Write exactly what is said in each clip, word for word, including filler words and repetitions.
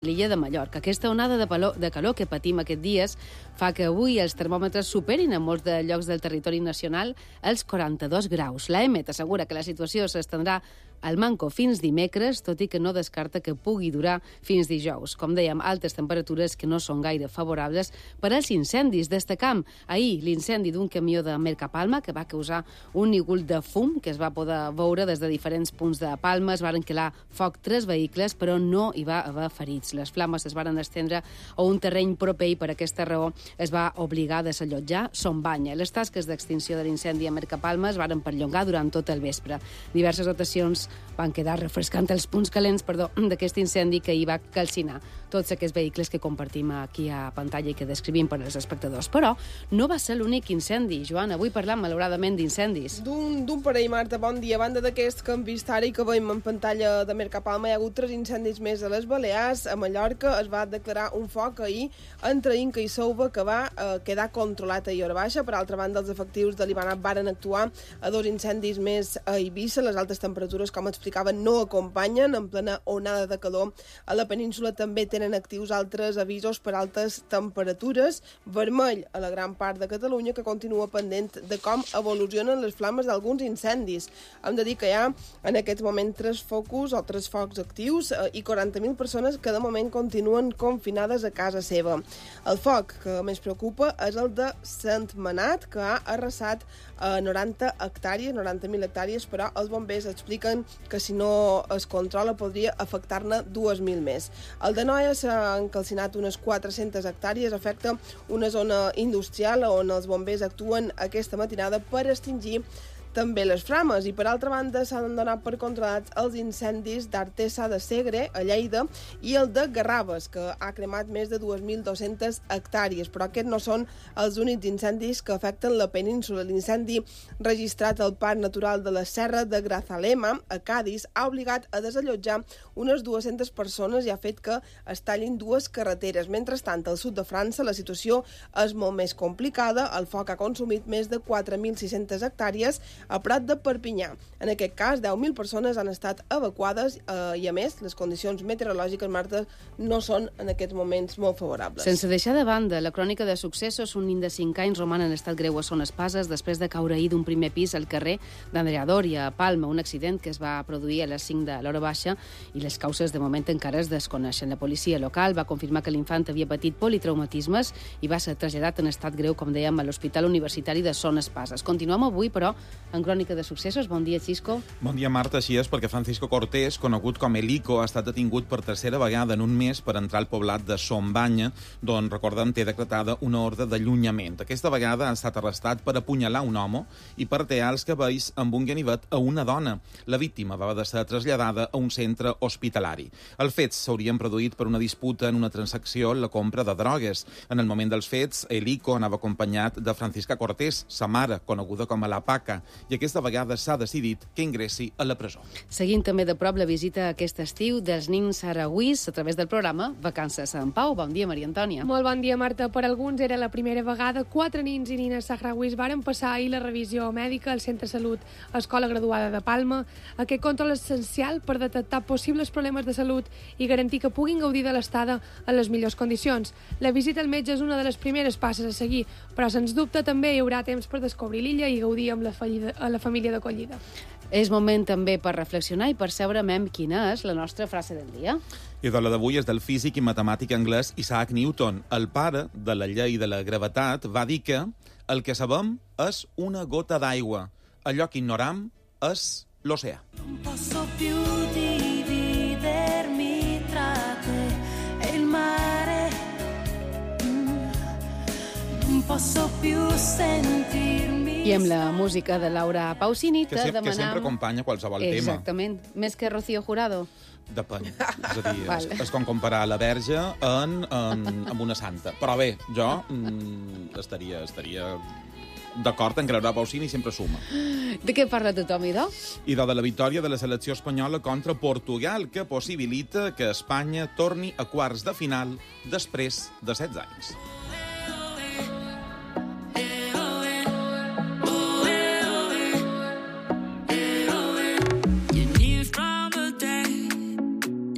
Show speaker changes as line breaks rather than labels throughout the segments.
l'illa de Mallorca. Aquesta onada de, calor, de calor que patim aquests dies fa que avui els termòmetres superin en molts de llocs del territori nacional els quaranta-dos graus. L'A E M E T assegura que la situació s'estendrà al manco fins dimecres, tot i que no descarta que pugui durar fins dijous. Com dèiem, altes temperatures que no són gaire favorables per als incendis. Destacam ahir l'incendi d'un camió de Mercapalma que va causar un nígul de fum que es va poder veure des de diferents punts de Palma. Es varen quedar foc tres vehicles, però no hi va haver ferits. Les flames es varen estendre a un terreny proper i per aquesta raó es va obligar a desallotjar Son Banya. Les tasques d'extinció de l'incendi a Mercapalma es varen perllongar durant tot el vespre. Diverses dotacions van quedar refrescant els punts calents perdó, d'aquest incendi que hi va calcinar tots aquests vehicles que compartim aquí a pantalla i que descrivim per als espectadors. Però no va ser l'únic incendi. Joan, avui parlam malauradament d'incendis.
D'un parell, Marta, bon dia. A banda d'aquest que hem vist ara i que veiem en pantalla de Mercapalma, hi ha hagut tres incendis més a les Balears. A Mallorca es va declarar un foc ahir entre Inca i Souva que va eh, quedar controlat a Hora Baixa. Per altra banda, els efectius de l'Ivanat varen actuar a dos incendis més a Eivissa. Les altes temperatures, com explicaven, no acompanyen en plena onada de calor. A la península també tenen actius altres avisos per altes temperatures. Vermell a la gran part de Catalunya, que continua pendent de com evolucionen les flames d'alguns incendis. Hem de dir que hi ha en aquest moment tres focus o tres focs actius eh, i quaranta mil persones que de moment continuen confinades a casa seva. El foc que més preocupa és el de Sentmenat, que ha arrasat a noranta hectàrees, noranta mil hectàrees, però els bombers expliquen que si no es controla podria afectar-ne dues mil més. El de Noia s'han calcinat unes quatre-centes hectàrees, afecta una zona industrial on els bombers actuen aquesta matinada per extingir també les flames, i per altra banda s'han donat per controlats els incendis d'Artesa de Segre, a Lleida, i el de Garraves, que ha cremat més de dues mil dues-centes hectàrees, però aquests no són els únics incendis que afecten la península. L'incendi registrat al Parc Natural de la Serra de Grazalema, a Cádiz, ha obligat a desallotjar unes dues-centes persones i ha fet que es tallin dues carreteres. Mentrestant, al sud de França la situació és molt més complicada. El foc ha consumit més de quatre mil sis-centes hectàrees a Prat de Perpinyà. En aquest cas, deu mil persones han estat evacuades eh, i, a més, les condicions meteorològiques, Marta, no són en aquests moments molt favorables.
Sense deixar de banda la crònica de successos, un nen de cinc anys roman en estat greu a Son Espases després de caure ahir d'un primer pis al carrer d'Andrea Doria, a Palma, un accident que es va produir a les cinc de l'hora baixa i les causes de moment encara es desconeixen. La policia local va confirmar que l'infant havia patit politraumatismes i va ser traslladat en estat greu, com dèiem, a l'Hospital Universitari de Son Espases. Continuem avui, però, en crònica de successos. Bon dia, Xisco.
Bon dia, Marta. Així és, perquè Francisco Cortés, conegut com Elico, ha estat detingut per tercera vegada en un mes per entrar al poblat de Son Banya, d'on, recordem, té decretada una ordre d'allunyament. Aquesta vegada ha estat arrestat per apunyalar un home i per tear els cabells amb un ganivet a una dona. La víctima va haver de ser traslladada a un centre hospitalari. Els fets s'haurien produït per una disputa en una transacció en la compra de drogues. En el moment dels fets, Elico anava acompanyat de Francisca Cortés, sa mare, coneguda com a la Paca, i aquesta vegada s'ha decidit que ingressi a la presó.
Seguint també de prop la visita aquest estiu dels nins saragüís a través del programa Vacances a Sant Pau. Bon dia, Maria Antònia.
Molt bon dia, Marta. Per alguns era la primera vegada. Quatre nins i nines saragüís varen passar ahir la revisió mèdica al Centre de Salut Escola Graduada de Palma. Aquest control és essencial per detectar possibles problemes de salut i garantir que puguin gaudir de l'estada en les millors condicions. La visita al metge és una de les primeres passes a seguir, però sens dubte també hi haurà temps per descobrir l'illa i gaudir amb la fallida a la família d'acollida.
És moment també per reflexionar i percebre mem quina és la nostra frase del dia.
I de la d'avui és del físic i matemàtic anglès Isaac Newton. El pare de la llei de la gravetat va dir que el que sabem és una gota d'aigua, allò que ignoram és l'oceà.
Non posso più dividermi tra te e il mare, non posso più sentirmi.
I amb la música de Laura Pausini
Que,
te
se,
demanam...
que sempre acompanya qualsevol tema.
Exactament. Més que Rocío Jurado.
Depèn. És a dir,
Vale.
és, és com comparar la verge en, en, amb una santa. Però bé, jo mm, estaria, estaria d'acord en que Laura Pausini sempre suma.
De què parla tothom, idò?
I de la victòria de la selecció espanyola contra Portugal, que possibilita que Espanya torni a quarts de final després de setze anys.
You knew from the day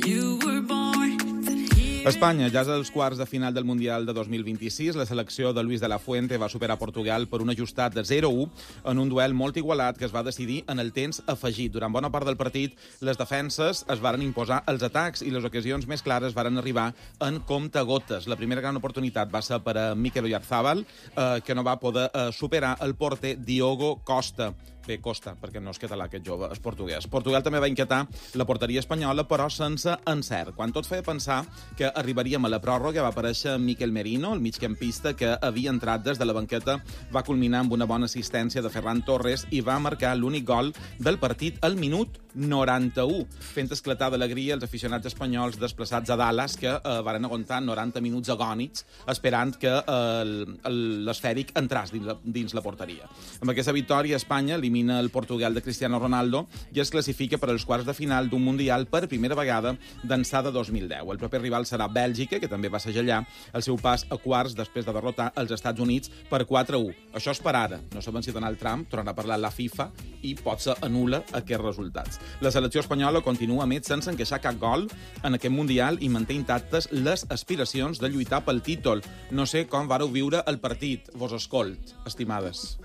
you were born that he
Espanya ja és als quarts de final del Mundial de dos mil vint-i-sis. La selecció de Luis de la Fuente va superar Portugal per un ajustat de zero a u en un duel molt igualat que es va decidir en el temps afegit. Durant bona part del partit, les defenses es varen imposar els atacs i les ocasions més clares varen arribar en comptagotes. La primera gran oportunitat va ser per a Mikel Oyarzabal, eh, que no va poder eh, superar el porter Diogo Costa. Bé, Costa, perquè no és català aquest jove, és portuguès. Portugal també va inquietar la porteria espanyola, però sense encert. Quan tot feia pensar que arribaríem a la pròrroga, va aparèixer Mikel Merino, el migcampista que havia entrat des de la banqueta, va culminar amb una bona assistència de Ferran Torres i va marcar l'únic gol del partit al minut noranta-u, fent esclatar d'alegria els aficionats espanyols desplaçats a Dallas, que eh, varen aguantar noranta minuts agònics esperant que eh, l'esfèric entràs dins la, dins la porteria. Amb aquesta victòria, Espanya elimina el Portugal de Cristiano Ronaldo i es classifica per als quarts de final d'un Mundial per primera vegada d'ençà de dos mil deu. El proper rival serà Bèlgica, que també va segellar el seu pas a quarts després de derrotar els Estats Units per quatre a u. Això és per ara. No sabem si Donald Trump tornarà a parlar la FIFA i potser anul·la aquests resultats. La selecció espanyola continua, a més, sense encaixar cap gol en aquest Mundial i manté intactes les aspiracions de lluitar pel títol. No sé com vareu viure el partit. Vos escolt, estimades.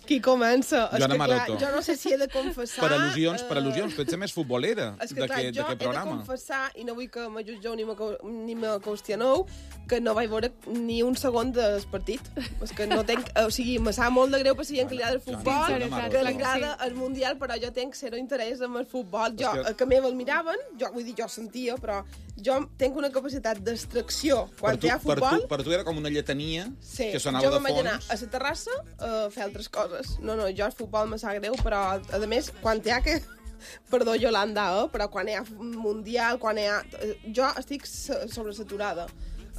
Qui comença? És
Joana
que, clar,
Maroto.
jo no sé si he de confessar...
Per al·lusions,
eh,
per al·lusions. Tu ets la més futbolera
És que, clar,
d'aquest
jo he de
programa.
confessar, i no vull que me jutgeu ni me, ni me qüestioneu, que no vaig veure ni un segon del partit. És que no tenc... O sigui, me sap molt de greu per si que li agrada el futbol,
Joana
que li
Maroto.
agrada el Mundial, però jo tenc zero interès en el futbol. Jo,
És que-
que... que meva el miraven, jo, vull dir, jo sentia, però jo tinc una capacitat d'extracció quan
Per tu,
hi ha
per,
futbol...
tu, per tu era com una lletania
Sí,
que sonava
jo
de
me'n vaig anar
fons.
a la terrassa a fer altres coses. No, no, jo el futbol me sap greu, però, a més, quan hi ha que... Perdó, Yolanda, eh? Però quan hi ha mundial, quan hi ha... Jo estic so- sobresaturada.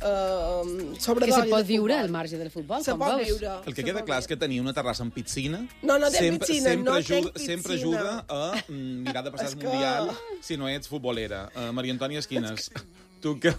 Uh, sobre
Que se pot viure al marge del futbol,
Se
com
pot
veus.
viure.
El que
se
queda
pot
clar és
viure.
que tenia una terrassa amb piscina.
No, no té
sempre,
piscina,
sempre
no
ajuda,
tenc
Sempre
piscina.
ajuda a mm, mirar de passar
És
el
que-
Mundial si no ets futbolera. Uh, Maria Antònia Esquines, tu que...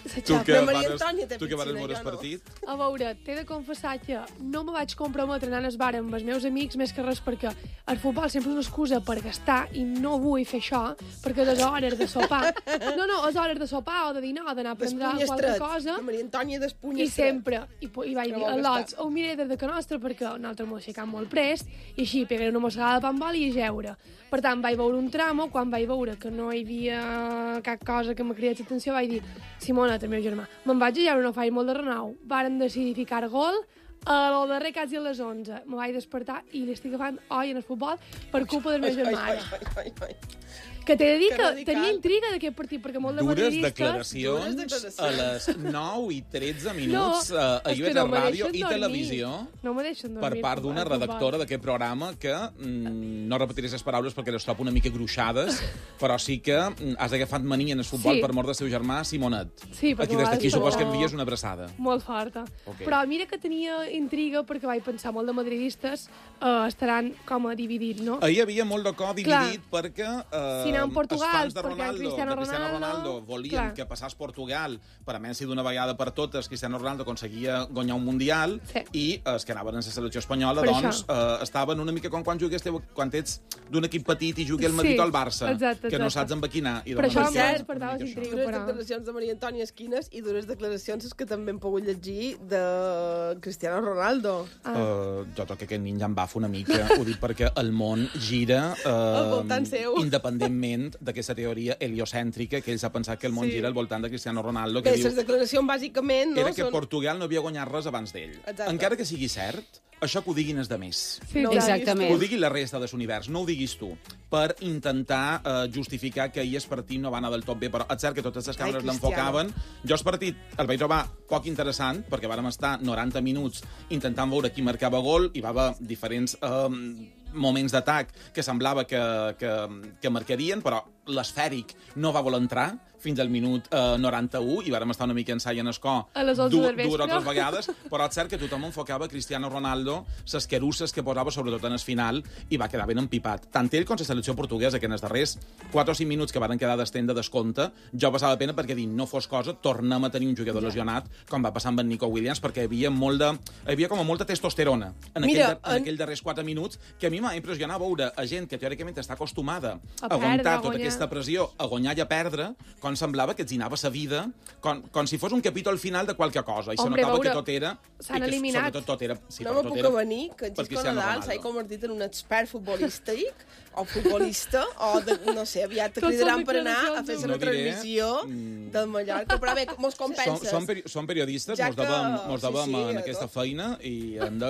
Tu
Xapa.
que
Però Maria
vares,
Antònia té
tu que vares
piscina,
veure el
jo no.
partit.
A veure, t'he de confessar que no me vaig comprometre anant al bar amb els meus amics més que res perquè el futbol sempre és una excusa per gastar i no vull fer això perquè les hores de sopar... No, no, les hores de sopar o de dinar o d'anar a prendre
Despuny
qualque
estret.
cosa
La Maria Antònia despuny
i
estret.
sempre, i, pu- i vaig
No
dir,
vol
a lots,
gastar.
ho miré des de que nostre perquè nosaltres m'ho aixecam molt prest i així pegaré una mossegada de pa amb oli i jeure. Per tant, vaig veure un tramo, quan vaig veure que no hi havia cap cosa que me cridés l'atenció, vaig dir, Simona, el meu germà, me'n vaig a jeure, no faig molt de renou. Varen decidir ficar gol a lo darrer quasi a les onze. Me vaig despertar i li estic agafant oi en el futbol per culpa del meu
Ai,
germà.
ai, ai, ai, ai.
Que t'he de dir
Que
que
radical.
tenia intriga d'aquest partit, perquè molt de
Dures
madridistes...
declaracions
Dures declaracions.
a les nou i tretze minuts
No,
a, a
és
I
que
V
no
T
me
Ràdio
deixen
i
dormir.
Televisió
No me deixen dormir.
per part d'una
al futbol.
redactora d'aquest programa que mm, no repetiré les paraules perquè les trobo una mica gruixades, però sí que mm, has agafat mania en el futbol
Sí.
per mort del seu germà Simonet.
Sí, perquè
Aquí des d'aquí
a vegades
supos que
no-
envies una abraçada.
Molt forta.
Ok.
Però mira que tenia intriga perquè vaig pensar molt de madridistes eh, estaran com a dividits, no?
Ahir hi havia molt de cor dividit perquè eh,
Si anem a Portugal,
els fans de
perquè
Ronaldo,
Cristiano
de Cristiano Ronaldo,
Ronaldo,
volien
clar.
que passés Portugal per a Messi d'una vegada per totes, Cristiano Ronaldo aconseguia guanyar un Mundial
Sí.
i els que anaven en la selecció espanyola
Per
doncs eh, estaven una mica com quan jugues teu, quan ets d'un equip petit i jugui al Madrid
Sí,
o al Barça,
exacte,
que no
exacte.
saps amb quina. I
Per
doncs
això
amb
em
això,
despertava
una mica això.
intriga.
Dures
però-
declaracions de Maria Antònia Esquines i dures declaracions que també hem pogut llegir de Cristiano Ronaldo.
Ah.
Uh, jo trobo que aquest nin ja em bafa una mica. Ho dic perquè el món gira
Al
uh,
voltant seu.
independentment d'aquesta teoria heliocèntrica que ells ha pensat que el món
Sí.
gira al voltant de Cristiano Ronaldo, que
Bé,
diu
les declaracions bàsicament no
era que
són...
Portugal no havia guanyat res abans d'ell.
Exacte.
Encara que sigui cert, això que ho diguin és de més.
Sí,
No,
sí.
Exactament.
Que ho digui la resta de l'univers, no ho diguis tu, per intentar eh, justificar que ahir el partit no va anar del tot bé, però és cert que totes les càmeres
Ai,
l'enfocaven. Jo el partit el vaig trobar poc interessant, perquè vàrem estar noranta minuts intentant veure qui marcava gol, i va haver diferents eh, moments d'atac que semblava que, que, que marcarien, però l'esfèric no va voler entrar fins al minut eh, noranta-u i vàrem estar una mica ensai en escó
A les onze
du-
del vespre.
dues o tres vegades, però és cert que tothom enfocava Cristiano Ronaldo, les querusses que posava sobretot en el final, i va quedar ben empipat. Tant ell com la selecció portuguesa, que en els darrers quatre o cinc minuts que varen quedar d'estent de descompte, jo passava pena perquè dic, no fos cosa, tornem a tenir un jugador lesionat, com va passar amb en Nico Williams, perquè hi havia, molt de, hi havia com a molta testosterona en,
Mira,
aquell, en
en-
aquells darrers quatre minuts, que a mi m'ha impressionat veure a gent que teòricament està acostumada
A
a aguantar
perdre, a
tota
guanyar.
aquesta pressió, a guanyar i a perdre, com em semblava que els hi anava sa vida com, com si fos un capítol final de qualque cosa, i se
Hombre,
notava
veure,
que tot era...
s'han
i que,
eliminat.
Sobretot tot era... Sí,
no
però
me
tot
puc
era
avenir que en
per
Xisco
Cristiano
Nadal s'ha
Ronaldo.
convertit en un expert futbolístic o futbolista, o, de, no sé, aviat te
Tots
cridaran
són
per anar a fer
declaracions
una
No diré,
transmissió
mm,
del Mallorca, però bé, mos
Som,
compenses.
som, peri som periodistes,
Ja
mos
que-
devem, mos
sí,
devem
sí,
en
a
aquesta
tot.
feina i hem de...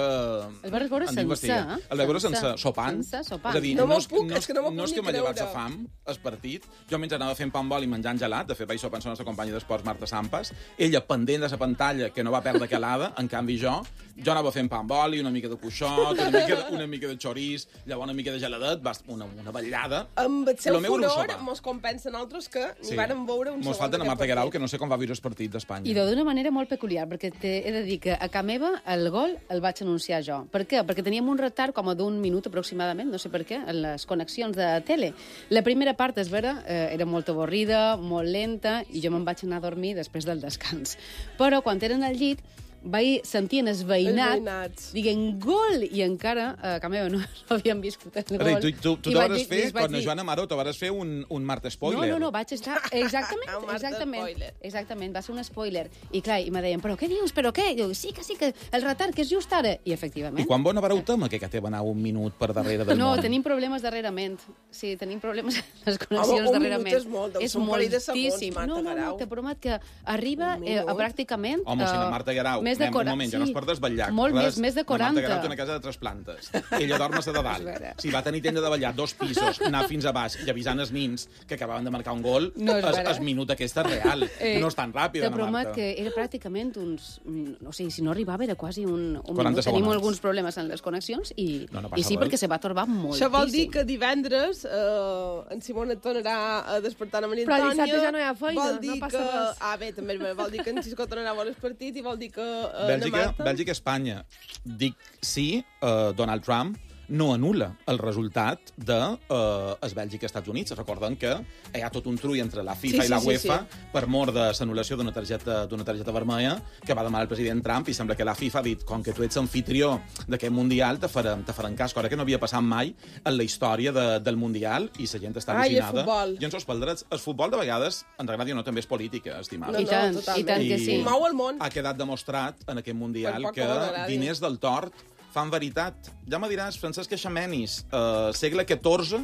El vas veure
hem
sencer,
d'investigar.
eh?
El vaig veure sense,
Sencer,
sopant.
sencer, sopant.
És a dir,
No
no,
m'ho
és,
puc,
no,
és que no m'ho
no
puc
és que
ni
m'ha llevat
creure.
sa fam, el partit. Jo mentre anava fent pa amb oli i menjant gelat, de fet vaig sopar amb la nostra companya d'esports, Marta Sampas, ella pendent de la pantalla, que no va perdre calada, en canvi jo, jo anava fent pa amb oli, una mica de cuixot, una mica de, una mica de xorís, llavors una mica de geladet, una, una vetllada.
Amb el seu
Lo meu era un
furor
sopar.
mos compensa nosaltres que ni
Sí.
vàrem veure un
Mos
segon
falta a
d'aquest
Marta Guerau,
partit.
que no sé com va viure el partit d'Espanya.
I d'una manera molt peculiar, perquè te, he de dir que a casa meva el gol el vaig anunciar jo. Per què? Perquè teníem un retard com a d'un minut aproximadament, no sé per què, en les connexions de tele. La primera part, és vera, eh, era molt avorrida, molt lenta, i jo me'n vaig anar a dormir després del descans. Però quan eren al llit, vaig sentir en el veïnat,
Els veïnats.
dient gol, i encara a casa meva no, no havien viscut el gol.
Ara, tu, tu, tu
I
te
vaig
vas
dir-
fer,
i els vaig
quan la
dir,
Joana Maró, te vas fer un, un Marta Spoiler.
no, no, no, vaig estar... Exactament,
Un Marta
exactament.
spoiler.
Exactament, va ser un spoiler. I clar, i me deien, però què dius, però què? I jo, sí que sí, que el retard, que és just ara. I efectivament.
I quan bona vareu tema que que te va anar un minut per darrere del
No,
món?
tenim problemes darrerament. Sí, tenim problemes amb les
Home,
connexions
un
darrerament.
minut és molt, deu ser un parell de segons,
moltíssim.
Marta
No, no, no,
Guerau.
te promet que arriba
Un
eh, a
minut.
pràcticament...
Home, si la
eh,
Marta Guerau,
més de
anem un
quaranta,
moment, ja no es per desvetllar.
Molt
Clar,
més, més de
La Marta Guerau té
quaranta.
una casa de tres plantes. Ella dorm a de dalt.
És vera.
Si va tenir temps de davallar dos pisos, anar fins a baix i avisant els nins que acabaven de marcar un gol,
No és
es,
vera.
es minut aquesta és real.
Eh,
no és tan ràpida,
Te
la
promet
Marta.
que era pràcticament uns... No sé, si no arribava era quasi un, un
quaranta
minut. Tenim
segons.
alguns problemes en les connexions i,
No, no passa
i sí,
res.
perquè se va torbar moltíssim.
Això vol dir que divendres eh, en Simona et tornarà a despertar a Maria
Però
Antònia.
dissabte ja no hi ha feina,
vol
no
dir
passa
que...
res.
Ah, bé, també vol dir que en Xisco tornarà a veure el partit i vol dir que eh,
Bèlgica,
na Marta...
Bèlgica, Espanya. Dic sí, eh, Donald Trump no anul·la el resultat de eh, es Bèlgica-Estats Units. Recorden que hi ha tot un trull entre la FIFA
Sí,
i la
sí, sí,
UEFA
sí.
per mort de l'anul·lació d'una targeta, d'una targeta vermella que va demanar el president Trump, i sembla que la FIFA ha dit, com que tu ets anfitrió d'aquest Mundial, te farem, te farem cas, cosa que no havia passat mai en la història de, del Mundial, i la gent està
Ai, el
al·lucinada.
futbol.
I ens els paldrets. El futbol, de vegades, en realitat, no, també és política, estimada.
I tant,
totalment.
i tant que sí.
I mou el món.
Ha quedat demostrat en aquest Mundial
Per poc
que
que m'agradi.
diners del tort fan veritat. Ja me diràs, Francesc Eixamenis, eh, segle catorze,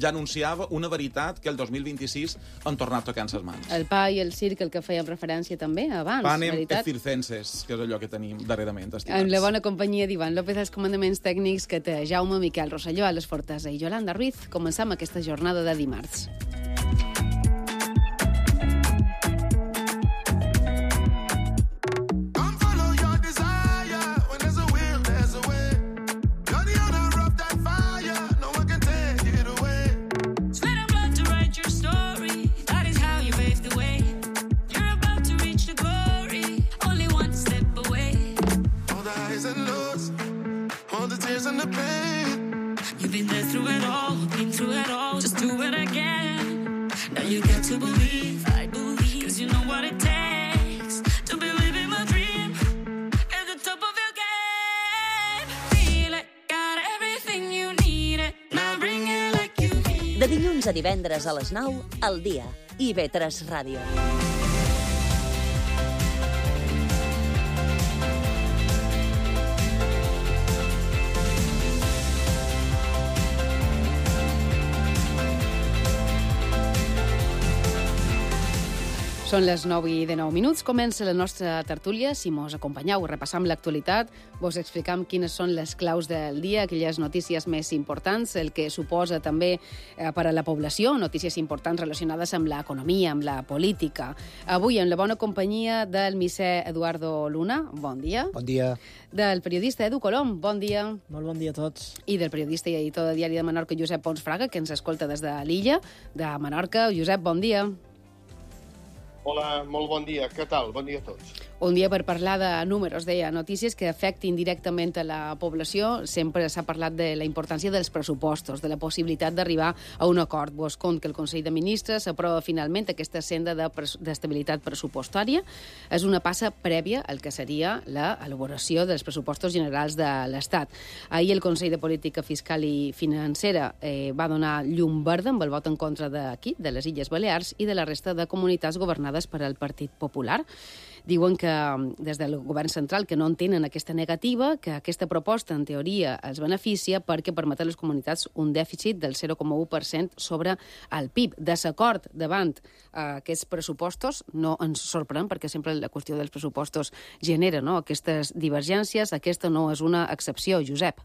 ja anunciava una veritat que el dos mil vint-i-sis han tornat tocant ses mans.
El pa i el circ, el que fèiem referència també abans,
Panem et
veritat.
circenses, que és allò que tenim darrerament, estimats.
Amb la bona companyia d'Ivan López als comandaments tècnics, que té Jaume Miquel Rosselló a les Fortesa i Yolanda Ruiz. Començam aquesta jornada de dimarts.
Come follow your desire. When there's a will, there's a way. You're the owner of that fire. No one can take it away.
Sweat and blood to write your story. That is how you pave the way. You're about to reach the glory. Only one step away.
All the highs and lows, all the tears and the pain.
You've been there through it all, been through it all. Just do it again. Now you got to believe, I believe. Cause you know what it takes to be living my dream. At the top of your game. Feel it, got everything you need it. Now bring it like you mean.
De dilluns a divendres a les nou, al dia. I ve tres Ràdio.
Són les nou i de nou minuts. Comença la nostra tertúlia. Si mos acompanyeu, repassam l'actualitat, vos explicam quines són les claus del dia, aquelles notícies més importants, el que suposa també eh, per a la població, notícies importants relacionades amb l'economia, amb la política. Avui, en la bona companyia del misser Eduardo Luna, bon dia.
Bon dia.
Del periodista Edu Colom, bon dia.
Molt bon dia a tots.
I del periodista i editor de Diari de Menorca, Josep Pons Fraga, que ens escolta des de l'illa de Menorca. Josep, bon dia.
Hola, molt bon dia. Què tal? Bon dia a tots.
Un dia per parlar de números, deia, notícies que afectin directament a la població. Sempre s'ha parlat de la importància dels pressupostos, de la possibilitat d'arribar a un acord. Vos compte que el Consell de Ministres aprova finalment aquesta senda d'estabilitat pressupostària. És una passa prèvia al que seria l'elaboració dels pressupostos generals de l'Estat. Ahir el Consell de Política Fiscal i Financera eh, va donar llum verda amb el vot en contra d'aquí, de les Illes Balears i de la resta de comunitats governades per al Partit Popular. Diuen que des del govern central que no entenen aquesta negativa, que aquesta proposta en teoria els beneficia perquè permet a les comunitats un dèficit del zero coma u per cent sobre el P I B. Desacord davant eh, aquests pressupostos no ens sorprèn perquè sempre la qüestió dels pressupostos genera, no?, aquestes divergències. Aquesta no és una excepció, Josep.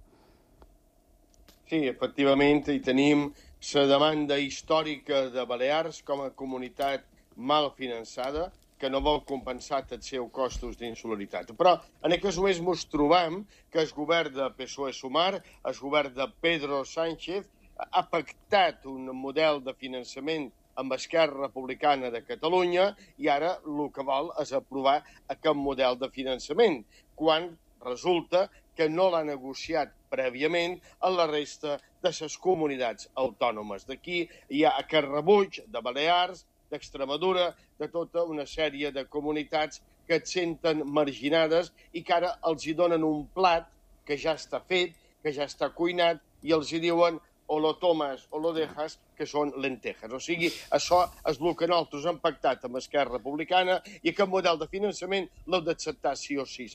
Sí, efectivament, hi tenim la demanda històrica de Balears com a comunitat mal finançada, que no vol compensar els seus costos d'insularitat. Però en aquest moments ens trobem que el govern de P S O E-Sumar, el govern de Pedro Sánchez, ha pactat un model de finançament amb Esquerra Republicana de Catalunya i ara el que vol és aprovar aquest model de finançament, quan resulta que no l'ha negociat prèviament a la resta de les comunitats autònomes. D'aquí hi ha aquest rebuig de Balears, d'Extremadura, de tota una sèrie de comunitats que et senten marginades i que ara els hi donen un plat que ja està fet, que ja està cuinat, i els hi diuen o lo tomas o lo dejas, que són lentejas. O sigui, això és el que nosaltres hem pactat amb Esquerra Republicana i aquest model de finançament l'heu d'acceptar sí o sí.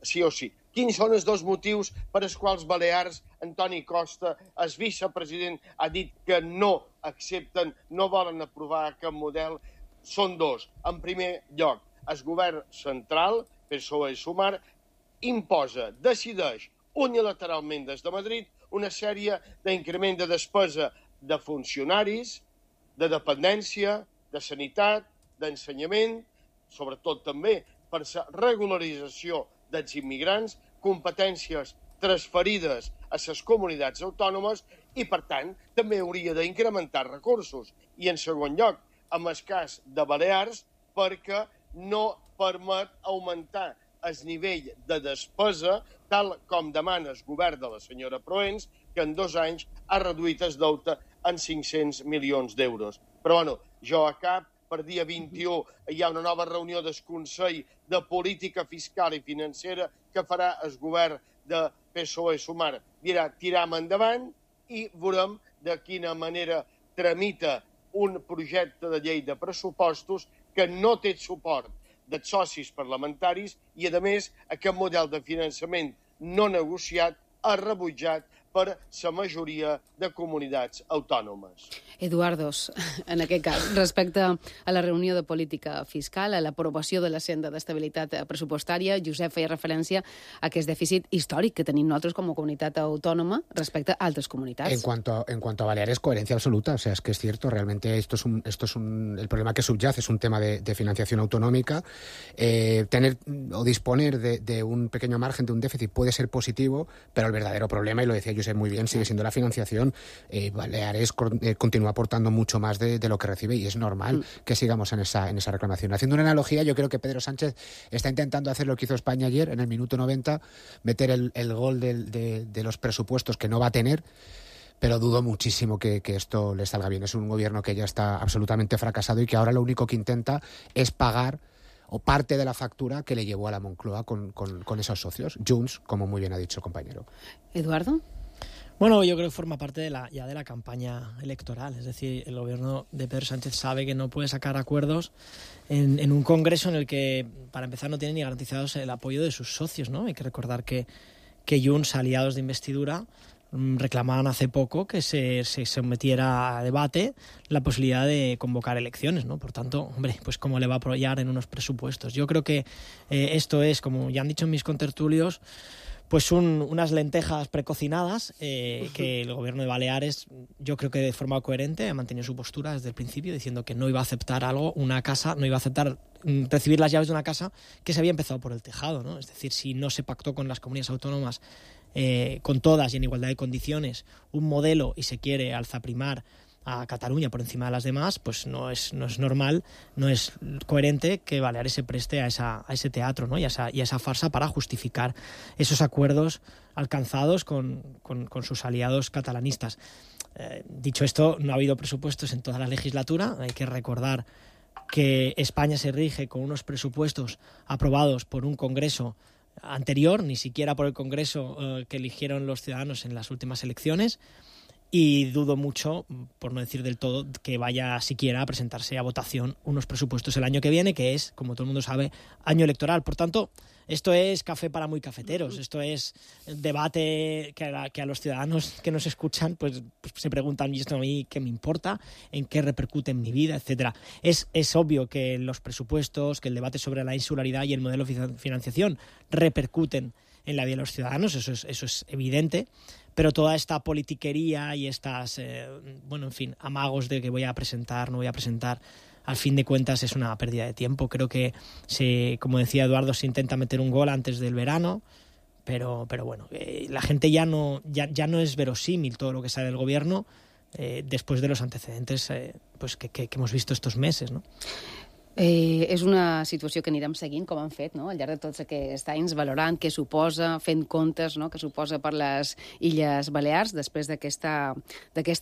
Sí o sí. Quins són els dos motius per als quals Balears, Antoni Costa, el vicepresident, ha dit que no accepten, no volen aprovar aquest model? Són dos. En primer lloc, el govern central, P S O E-Sumar, imposa, decideix unilateralment des de Madrid una sèrie d'increment de despesa de funcionaris, de dependència, de sanitat, d'ensenyament, sobretot també per la regularització dels immigrants, competències transferides a les comunitats autònomes i, per tant, també hauria d'incrementar recursos. I, en segon lloc, en el cas de Balears, perquè no permet augmentar el nivell de despesa, tal com demana el govern de la senyora Proens, que en dos anys ha reduït el deute en cinc-cents milions d'euros. Però, bueno, jo a cap, per dia vint-i-u hi ha una nova reunió del Consell de Política Fiscal i Financera que farà el govern de P S O E-Sumar. Dirà, tiram endavant i veurem de quina manera tramita un projecte de llei de pressupostos que no té suport dels socis parlamentaris i, a més, aquest model de finançament no negociat ha rebutjat per la majoria de comunitats autònomes.
Eduardos, en aquest cas, respecte a la reunió de política fiscal, a l'aprovació de la senda d'estabilitat pressupostària, Josep feia referència a aquest dèficit històric que tenim nosaltres com a comunitat autònoma respecte a altres comunitats.
En cuanto, en cuanto a Baleares, coherencia absoluta. O sea, es que es cierto, realmente esto es un, esto es un, el problema que subyace es un tema de, de financiación autonómica. Eh, tener o disponer de, de un pequeño margen, de un déficit, puede ser positivo, pero el verdadero problema, y lo decía Josep muy bien, sigue siendo la financiación. Eh, Baleares eh, continúa aportando mucho más de, de lo que recibe y es normal mm. que sigamos en esa, en esa reclamación. Haciendo una analogía, yo creo que Pedro Sánchez está intentando hacer lo que hizo España ayer, en el minuto noventa, meter el, el gol del, de, de los presupuestos que no va a tener, pero dudo muchísimo que, que esto le salga bien. Es un gobierno que ya está absolutamente fracasado y que ahora lo único que intenta es pagar o parte de la factura que le llevó a la Moncloa con, con, con esos socios. Junts, como muy bien ha dicho el compañero.
Eduardo.
Bueno, yo creo que forma parte de la, ya de la campaña electoral. Es decir, el gobierno de Pedro Sánchez sabe que no puede sacar acuerdos en, en un congreso en el que, para empezar, no tiene ni garantizados el apoyo de sus socios, ¿no? Hay que recordar que, que Junts, aliados de investidura, reclamaban hace poco que se, se sometiera a debate la posibilidad de convocar elecciones, ¿no? Por tanto, hombre, pues cómo le va a apoyar en unos presupuestos. Yo creo que eh, esto es, como ya han dicho mis contertulios, pues un, unas lentejas precocinadas eh, que el gobierno de Baleares, yo creo que de forma coherente ha mantenido su postura desde el principio, diciendo que no iba a aceptar algo, una casa, no iba a aceptar recibir las llaves de una casa que se había empezado por el tejado, ¿no? Es decir, si no se pactó con las comunidades autónomas eh, con todas y en igualdad de condiciones un modelo y se quiere alzaprimar a Cataluña por encima de las demás, pues no es, no es normal, no es coherente que Baleares se preste a, esa, a ese teatro, ¿no? y, a esa, y a esa farsa para justificar esos acuerdos alcanzados con, con, con sus aliados catalanistas. Eh, dicho esto, no ha habido presupuestos en toda la legislatura. Hay que recordar que España se rige con unos presupuestos aprobados por un Congreso anterior, ni siquiera por el Congreso eh, que eligieron los ciudadanos en las últimas elecciones, y dudo mucho, por no decir del todo, que vaya siquiera a presentarse a votación unos presupuestos el año que viene, que es, como todo el mundo sabe, año electoral. Por tanto, esto es café para muy cafeteros, esto es debate que a, que a los ciudadanos que nos escuchan pues, pues se preguntan, ¿y esto a mí qué me importa? ¿En qué repercute en mi vida? Etcétera. Es, es obvio que los presupuestos, que el debate sobre la insularidad y el modelo de financiación repercuten en la vida de los ciudadanos, eso es, eso es evidente, pero toda esta politiquería y estas, eh, bueno, en fin, amagos de que voy a presentar, no voy a presentar, al fin de cuentas es una pérdida de tiempo. Creo que, se, como decía Eduardo, se intenta meter un gol antes del verano, pero, pero bueno, eh, la gente ya no, ya, ya no es verosímil todo lo que sale del gobierno eh, después de los antecedentes eh, pues que, que, que hemos visto estos meses, ¿no?
Eh, és una situació que anirem seguint, com han fet, no?, al llarg de tots aquests anys, valorant què suposa, fent comptes, no?, que suposa per les Illes Balears després d'aquest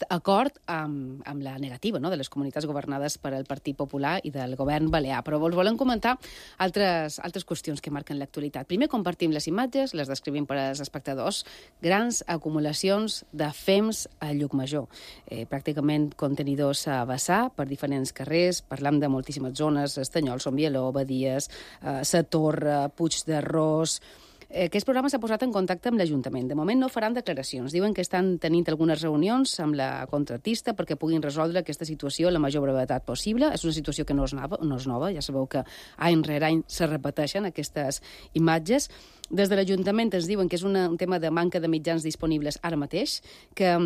acord amb, amb la negativa, no?, de les comunitats governades per el Partit Popular i del govern balear. Però vos volem comentar altres, altres qüestions que marquen l'actualitat. Primer, compartim les imatges, les descrivim per als espectadors, grans acumulacions de fems a Llucmajor. Eh, pràcticament contenidors a vessar per diferents carrers, parlam de moltíssimes zones, Estanyol, Sombieló, Badies, eh, Sa Torre, Puig d'Arròs. Eh, aquest programa s'ha posat en contacte amb l'Ajuntament. De moment no faran declaracions. Diuen que estan tenint algunes reunions amb la contratista perquè puguin resoldre aquesta situació a la major brevetat possible. És una situació que no és nova, no és nova. Ja sabeu que any rere any se repeteixen aquestes imatges. Des de l'Ajuntament ens diuen que és una, un tema de manca de mitjans disponibles ara mateix, que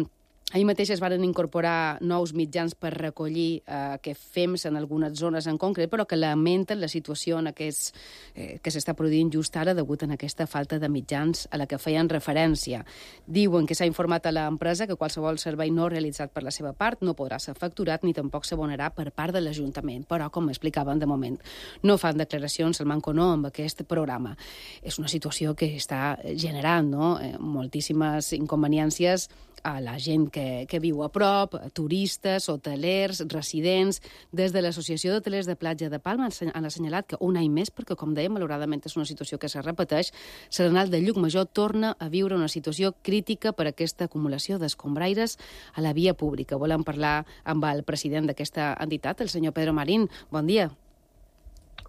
ahir mateix es van incorporar nous mitjans per recollir eh, que fems en algunes zones en concret, però que lamenten la situació en aquests, eh, que s'està produint just ara degut a aquesta falta de mitjans a la que feien referència. Diuen que s'ha informat a l'empresa que qualsevol servei no realitzat per la seva part no podrà ser facturat ni tampoc s'abonarà per part de l'Ajuntament. Però, com explicaven de moment, no fan declaracions al manco no amb aquest programa. És una situació que està generant, no?, eh, moltíssimes inconveniències a la gent que, que viu a prop, a turistes, hotelers, residents. Des de l'Associació d'Hotelers de Platja de Palma han assenyalat que un any més, perquè, com dèiem, malauradament és una situació que se repeteix, Serenal de Llucmajor torna a viure una situació crítica per aquesta acumulació d'escombraires a la via pública. Volem parlar amb el president d'aquesta entitat, el senyor Pedro Marín. Bon dia.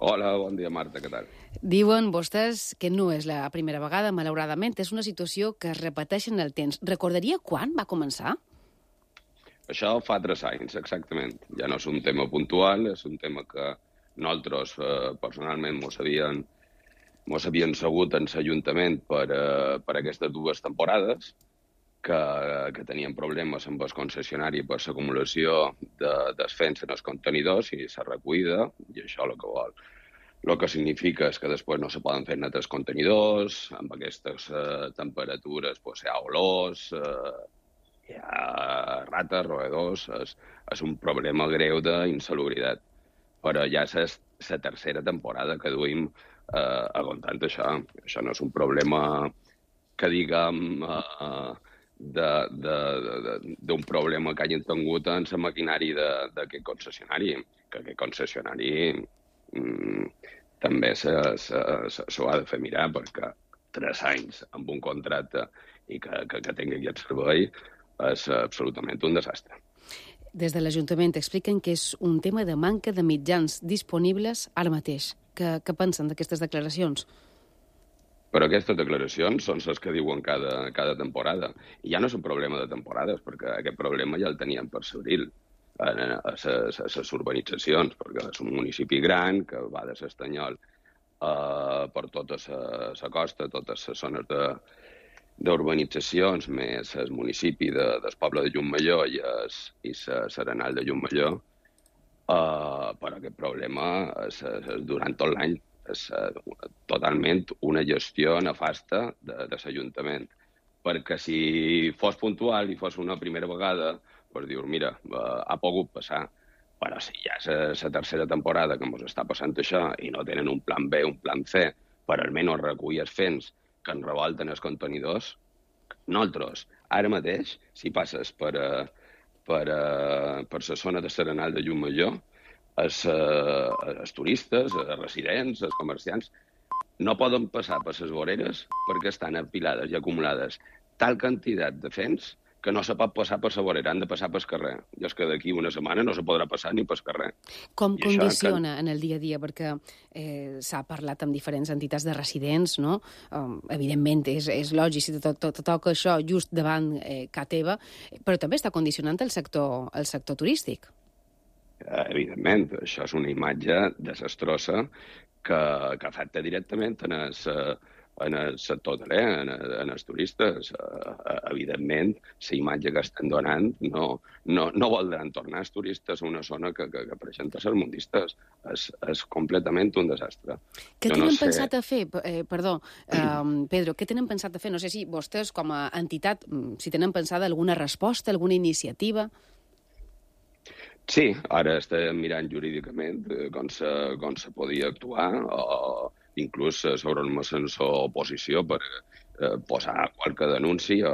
Hola, bon dia, Marta, què tal?
Diuen vostès que no és la primera vegada, malauradament, és una situació que es repeteix en el temps. Recordaria quan va començar?
Això fa tres anys, exactament. Ja no és un tema puntual, és un tema que nosaltres, eh, personalment, mos havien, mos havien segut en l'Ajuntament per, eh, per aquestes dues temporades, que, que tenien problemes amb el concessionari per l'acumulació de, desfens en els contenidors i la recollida, i això el que vol. El que significa és que després no se poden fer netes contenidors, amb aquestes eh, temperatures pues, hi ha olors, eh, hi ha rates, roedors, és, és un problema greu d'insalubritat. Però ja és la tercera temporada que duim eh, aguantant això. Això no és un problema que diguem... Eh, d'un problema que hagin tingut en la maquinari d'aquest concessionari, que aquest concessionari mm, també s'ho ha de fer mirar, perquè tres anys amb un contracte i que, que, que tingui aquest servei és absolutament un desastre.
Des de l'Ajuntament expliquen que és un tema de manca de mitjans disponibles ara mateix. Què, què pensen d'aquestes declaracions?
Però aquestes declaracions són les que diuen cada, cada temporada. I ja no és un problema de temporades, perquè aquest problema ja el teníem per l'abril a les urbanitzacions, perquè és un municipi gran que va de l'Estanyol eh, per tota la costa, totes les zones de, d'urbanitzacions, més el municipi de, del poble de Llucmajor i la Serenal de Llucmajor, eh, però aquest problema és, és durant tot l'any. És uh, totalment una gestió nefasta de, de l'Ajuntament. Perquè si fos puntual i fos una primera vegada, per dir, mira, uh, ha pogut passar, però si ja és la tercera temporada que ens està passant això i no tenen un plan B, un plan C, per almenys recollir els fens que ens revolten els contenidors, nosaltres, ara mateix, si passes per, uh, per, uh, per la zona de Serenal de Llucmajor, els, uh, els turistes, els residents, els comerciants, no poden passar per les voreres perquè estan apilades i acumulades tal quantitat de fens que no se pot passar per la vorera, han de passar pel carrer. I és que d'aquí una setmana no se podrà passar ni pel carrer.
Com
I
condiciona
que...
en el dia a dia? Perquè eh, s'ha parlat amb diferents entitats de residents, no? Um, evidentment, és, és lògic, si tot, tot, tot toca això just davant eh, ca teva, però també està condicionant el sector, el sector turístic.
Evidentment, això és una imatge desastrosa que, que afecta directament en el, en el sector hoteler, en, en els turistes. Evidentment, la imatge que estan donant no, no, no voldran tornar els turistes a una zona que, que, que presenta sermundistes. És, és completament un desastre.
Què
jo
tenen
no sé...
pensat a fer? Eh, perdó, eh, Pedro, què tenen pensat a fer? No sé si vostès, com a entitat, si tenen pensada alguna resposta, alguna iniciativa...
Sí, ara estem mirant jurídicament com se, com se podia actuar, o inclús sobre una sensor oposició per eh, posar qualque denúncia.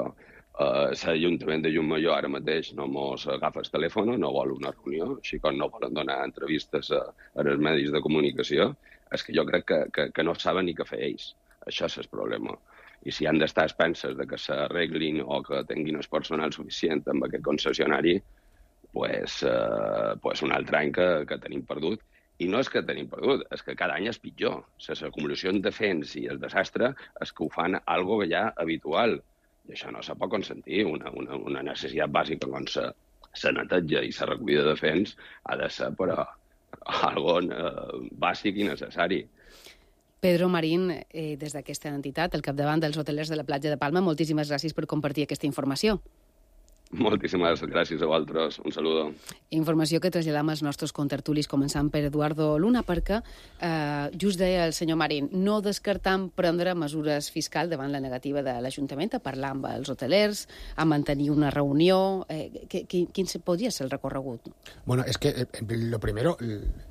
Eh, L'Ajuntament de Llucmajor ara mateix no mos agafa el telèfon, no vol una reunió, així com no volen donar entrevistes a, a els medis de comunicació. És que jo crec que, que, que no saben ni què fer ells. Això és el problema. I si han d'estar expenses de que s'arreglin o que tinguin el personal suficient amb aquest concessionari, pues, eh, pues un altre any que, que tenim perdut. I no és que tenim perdut, és que cada any és pitjor. Les acumulacions de fens i el desastre és que ho fan algo ja habitual. I això no se pot consentir. Una, una, una necessitat bàsica com la neteja i la recollida de fens ha de ser però algo eh, bàsic i necessari.
Pedro Marín, eh, des d'aquesta entitat, al capdavant dels hotelers de la platja de Palma, moltíssimes gràcies per compartir aquesta informació.
Moltíssimes gràcies a vosaltres. Un saludo.
Informació que traslladam als nostres contertulis, començant per Eduardo Luna, perquè eh, just deia el senyor Marín, no descartam prendre mesures fiscals davant la negativa de l'Ajuntament a parlar amb els hotelers, a mantenir una reunió. Eh, que, que, quin podria ser el recorregut?
Bueno, es que eh, lo primero,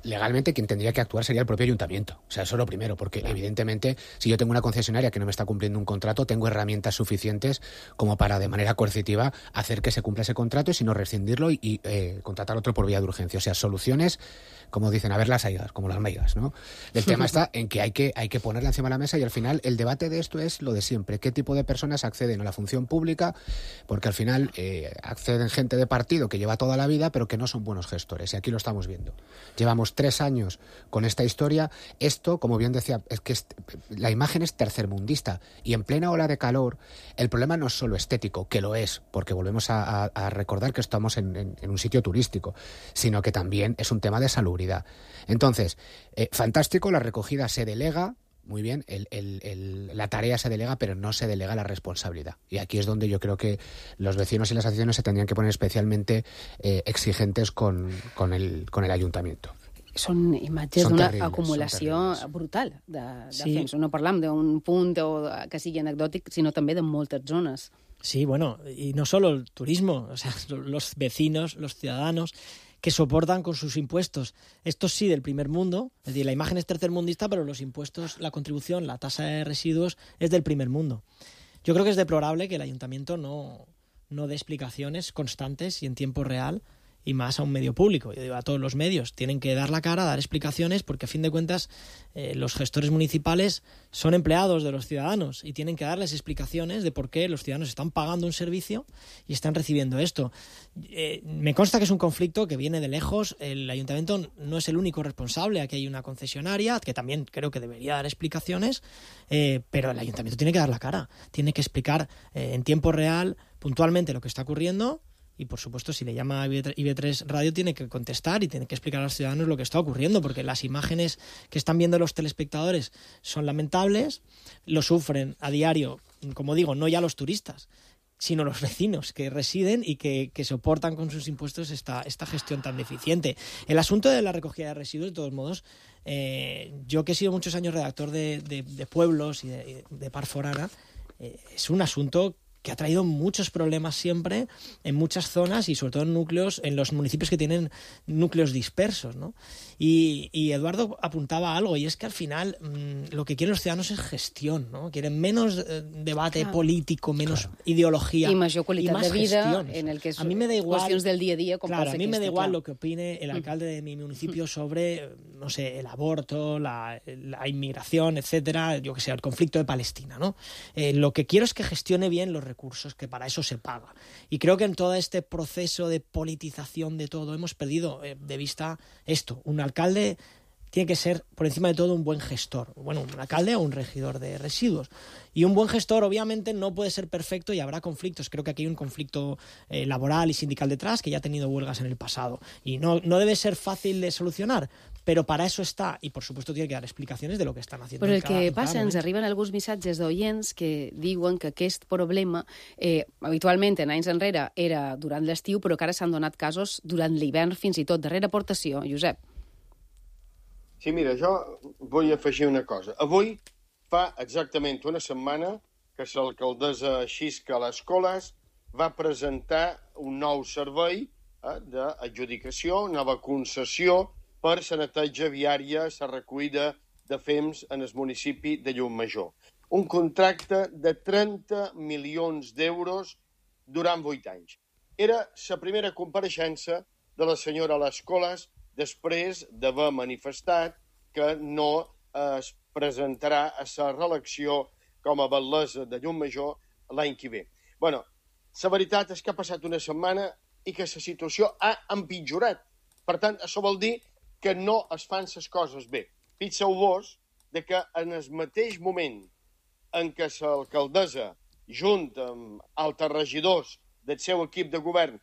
legalmente quien tendría que actuar sería el propio Ayuntamiento. O sea, eso es lo primero, porque claro, evidentemente, si yo tengo una concesionaria que no me está cumpliendo un contrato, tengo herramientas suficientes como para, de manera coercitiva, hacer que se cumpla ese contrato y si no rescindirlo y, y eh, contratar otro por vía de urgencia. O sea, soluciones, como dicen, a ver las algas, como las meigas, ¿no? El tema está en que hay que hay que ponerla encima de la mesa y al final el debate de esto es lo de siempre. ¿Qué tipo de personas acceden a la función pública? Porque al final eh, acceden gente de partido que lleva toda la vida pero que no son buenos gestores y aquí lo estamos viendo. Llevamos tres años con esta historia. Esto, como bien decía, es que es, la imagen es tercermundista y en plena ola de calor el problema no es solo estético, que lo es, porque volvemos a A, a recordar que estamos en, en, en un sitio turístico, sino que también es un tema de salubridad. Entonces, eh, fantástico, la recogida se delega, muy bien, el, el, el, la tarea se delega, pero no se delega la responsabilidad. Y aquí es donde yo creo que los vecinos y las asociaciones se tendrían que poner especialmente eh, exigentes con, con, el, con el ayuntamiento.
Són imatges d'una acumulació brutal de, de sí. fens. No parlam d'un punt o que sigui anecdòtic, sinó també de moltes zones.
Sí, bueno, y no solo el turismo, o sea, los vecinos, los ciudadanos que soportan con sus impuestos. Esto sí del primer mundo, es decir, la imagen es tercermundista, pero los impuestos, la contribución, la tasa de residuos es del primer mundo. Yo creo que es deplorable que el ayuntamiento no, no dé explicaciones constantes y en tiempo real, y más a un medio público. Yo digo, a todos los medios tienen que dar la cara, dar explicaciones, porque a fin de cuentas eh, los gestores municipales son empleados de los ciudadanos y tienen que darles explicaciones de por qué los ciudadanos están pagando un servicio y están recibiendo esto. Eh, me consta que es un conflicto que viene de lejos. El ayuntamiento no es el único responsable. Aquí hay una concesionaria que también creo que debería dar explicaciones, eh, pero el ayuntamiento tiene que dar la cara, tiene que explicar eh, en tiempo real, puntualmente, lo que está ocurriendo. Y, por supuesto, si le llama a I B tres Radio, tiene que contestar y tiene que explicar a los ciudadanos lo que está ocurriendo, porque las imágenes que están viendo los telespectadores son lamentables, lo sufren a diario, como digo, no ya los turistas, sino los vecinos que residen y que, que soportan con sus impuestos esta, esta gestión tan deficiente. El asunto de la recogida de residuos, de todos modos, eh, yo que he sido muchos años redactor de, de, de pueblos y de, de Par Forana, eh, es un asunto que ha traído muchos problemas siempre en muchas zonas y sobre todo en núcleos, en los municipios que tienen núcleos dispersos, ¿no? Y, y Eduardo apuntaba a algo, y es que al final mmm, lo que quieren los ciudadanos es gestión, ¿no? Quieren menos eh, debate claro. político, menos claro. ideología
y mayor qualitat
y más
de vida
gestiones.
En el que es
a mí me da igual,
qüestions del dia a dia. Com
claro, a mí me da igual
clar.
lo que opine el alcalde de mi municipio sobre, no sé, el aborto, la, la inmigración, etcétera, yo que sé, el conflicto de Palestina, ¿no? Eh, lo que quiero es que gestione bien los recursos, que para eso se paga. Y creo que en todo este proceso de politización de todo hemos perdido eh, de vista esto. Un alcalde tiene que ser, por encima de todo, un buen gestor. Bueno, un alcalde o un regidor de residuos. Y un buen gestor, obviamente, no puede ser perfecto y habrá conflictos. Creo que aquí hay un conflicto eh, laboral y sindical detrás, que ya ha tenido huelgas en el pasado. Y no, no debe ser fácil de solucionar, però per això està, i per supuesto tiene que dar explicaciones de lo que están haciendo.
Però el
cada,
que passa, ens
moment.
arriben alguns missatges d'oients que diuen que aquest problema, eh, habitualment en anys enrere, era durant l'estiu, però que ara s'han donat casos durant l'hivern, fins i tot. Darrera aportació, Josep.
Sí, mira, jo vull afegir una cosa. Avui fa exactament una setmana que l'alcaldessa Xisca a les Coles va presentar un nou servei eh, d'adjudicació, nova concessió per la neteja viària, la recollida de fems en el municipi de Llucmajor. Un contracte de trenta milions d'euros durant vuit anys. Era la primera compareixença de la senyora Les Coles després d'haver manifestat que no es presentarà a la reelecció com a batllessa de Llucmajor l'any que ve. Bueno, la veritat és que ha passat una setmana i que la situació ha empitjorat. Per tant, això vol dir que no es fan les coses bé. Fixeu-vos de que en el mateix moment en què l'alcaldessa, junt amb altres regidors del seu equip de govern,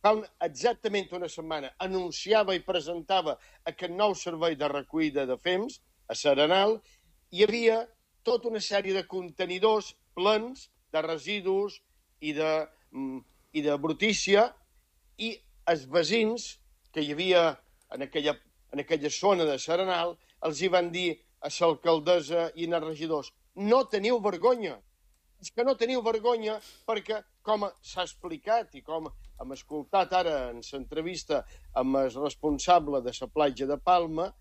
fa exactament una setmana anunciava i presentava aquest nou servei de recollida de fems a Serenal, hi havia tota una sèrie de contenidors plens de residus i de, i de brutícia, i els veïns que hi havia en aquella, en aquella zona de Serenal els hi van dir a l'alcaldessa i als regidors: no teniu vergonya, és que no teniu vergonya perquè, com s'ha explicat i com hem escoltat ara en l'entrevista amb el responsable de la platja de Palma,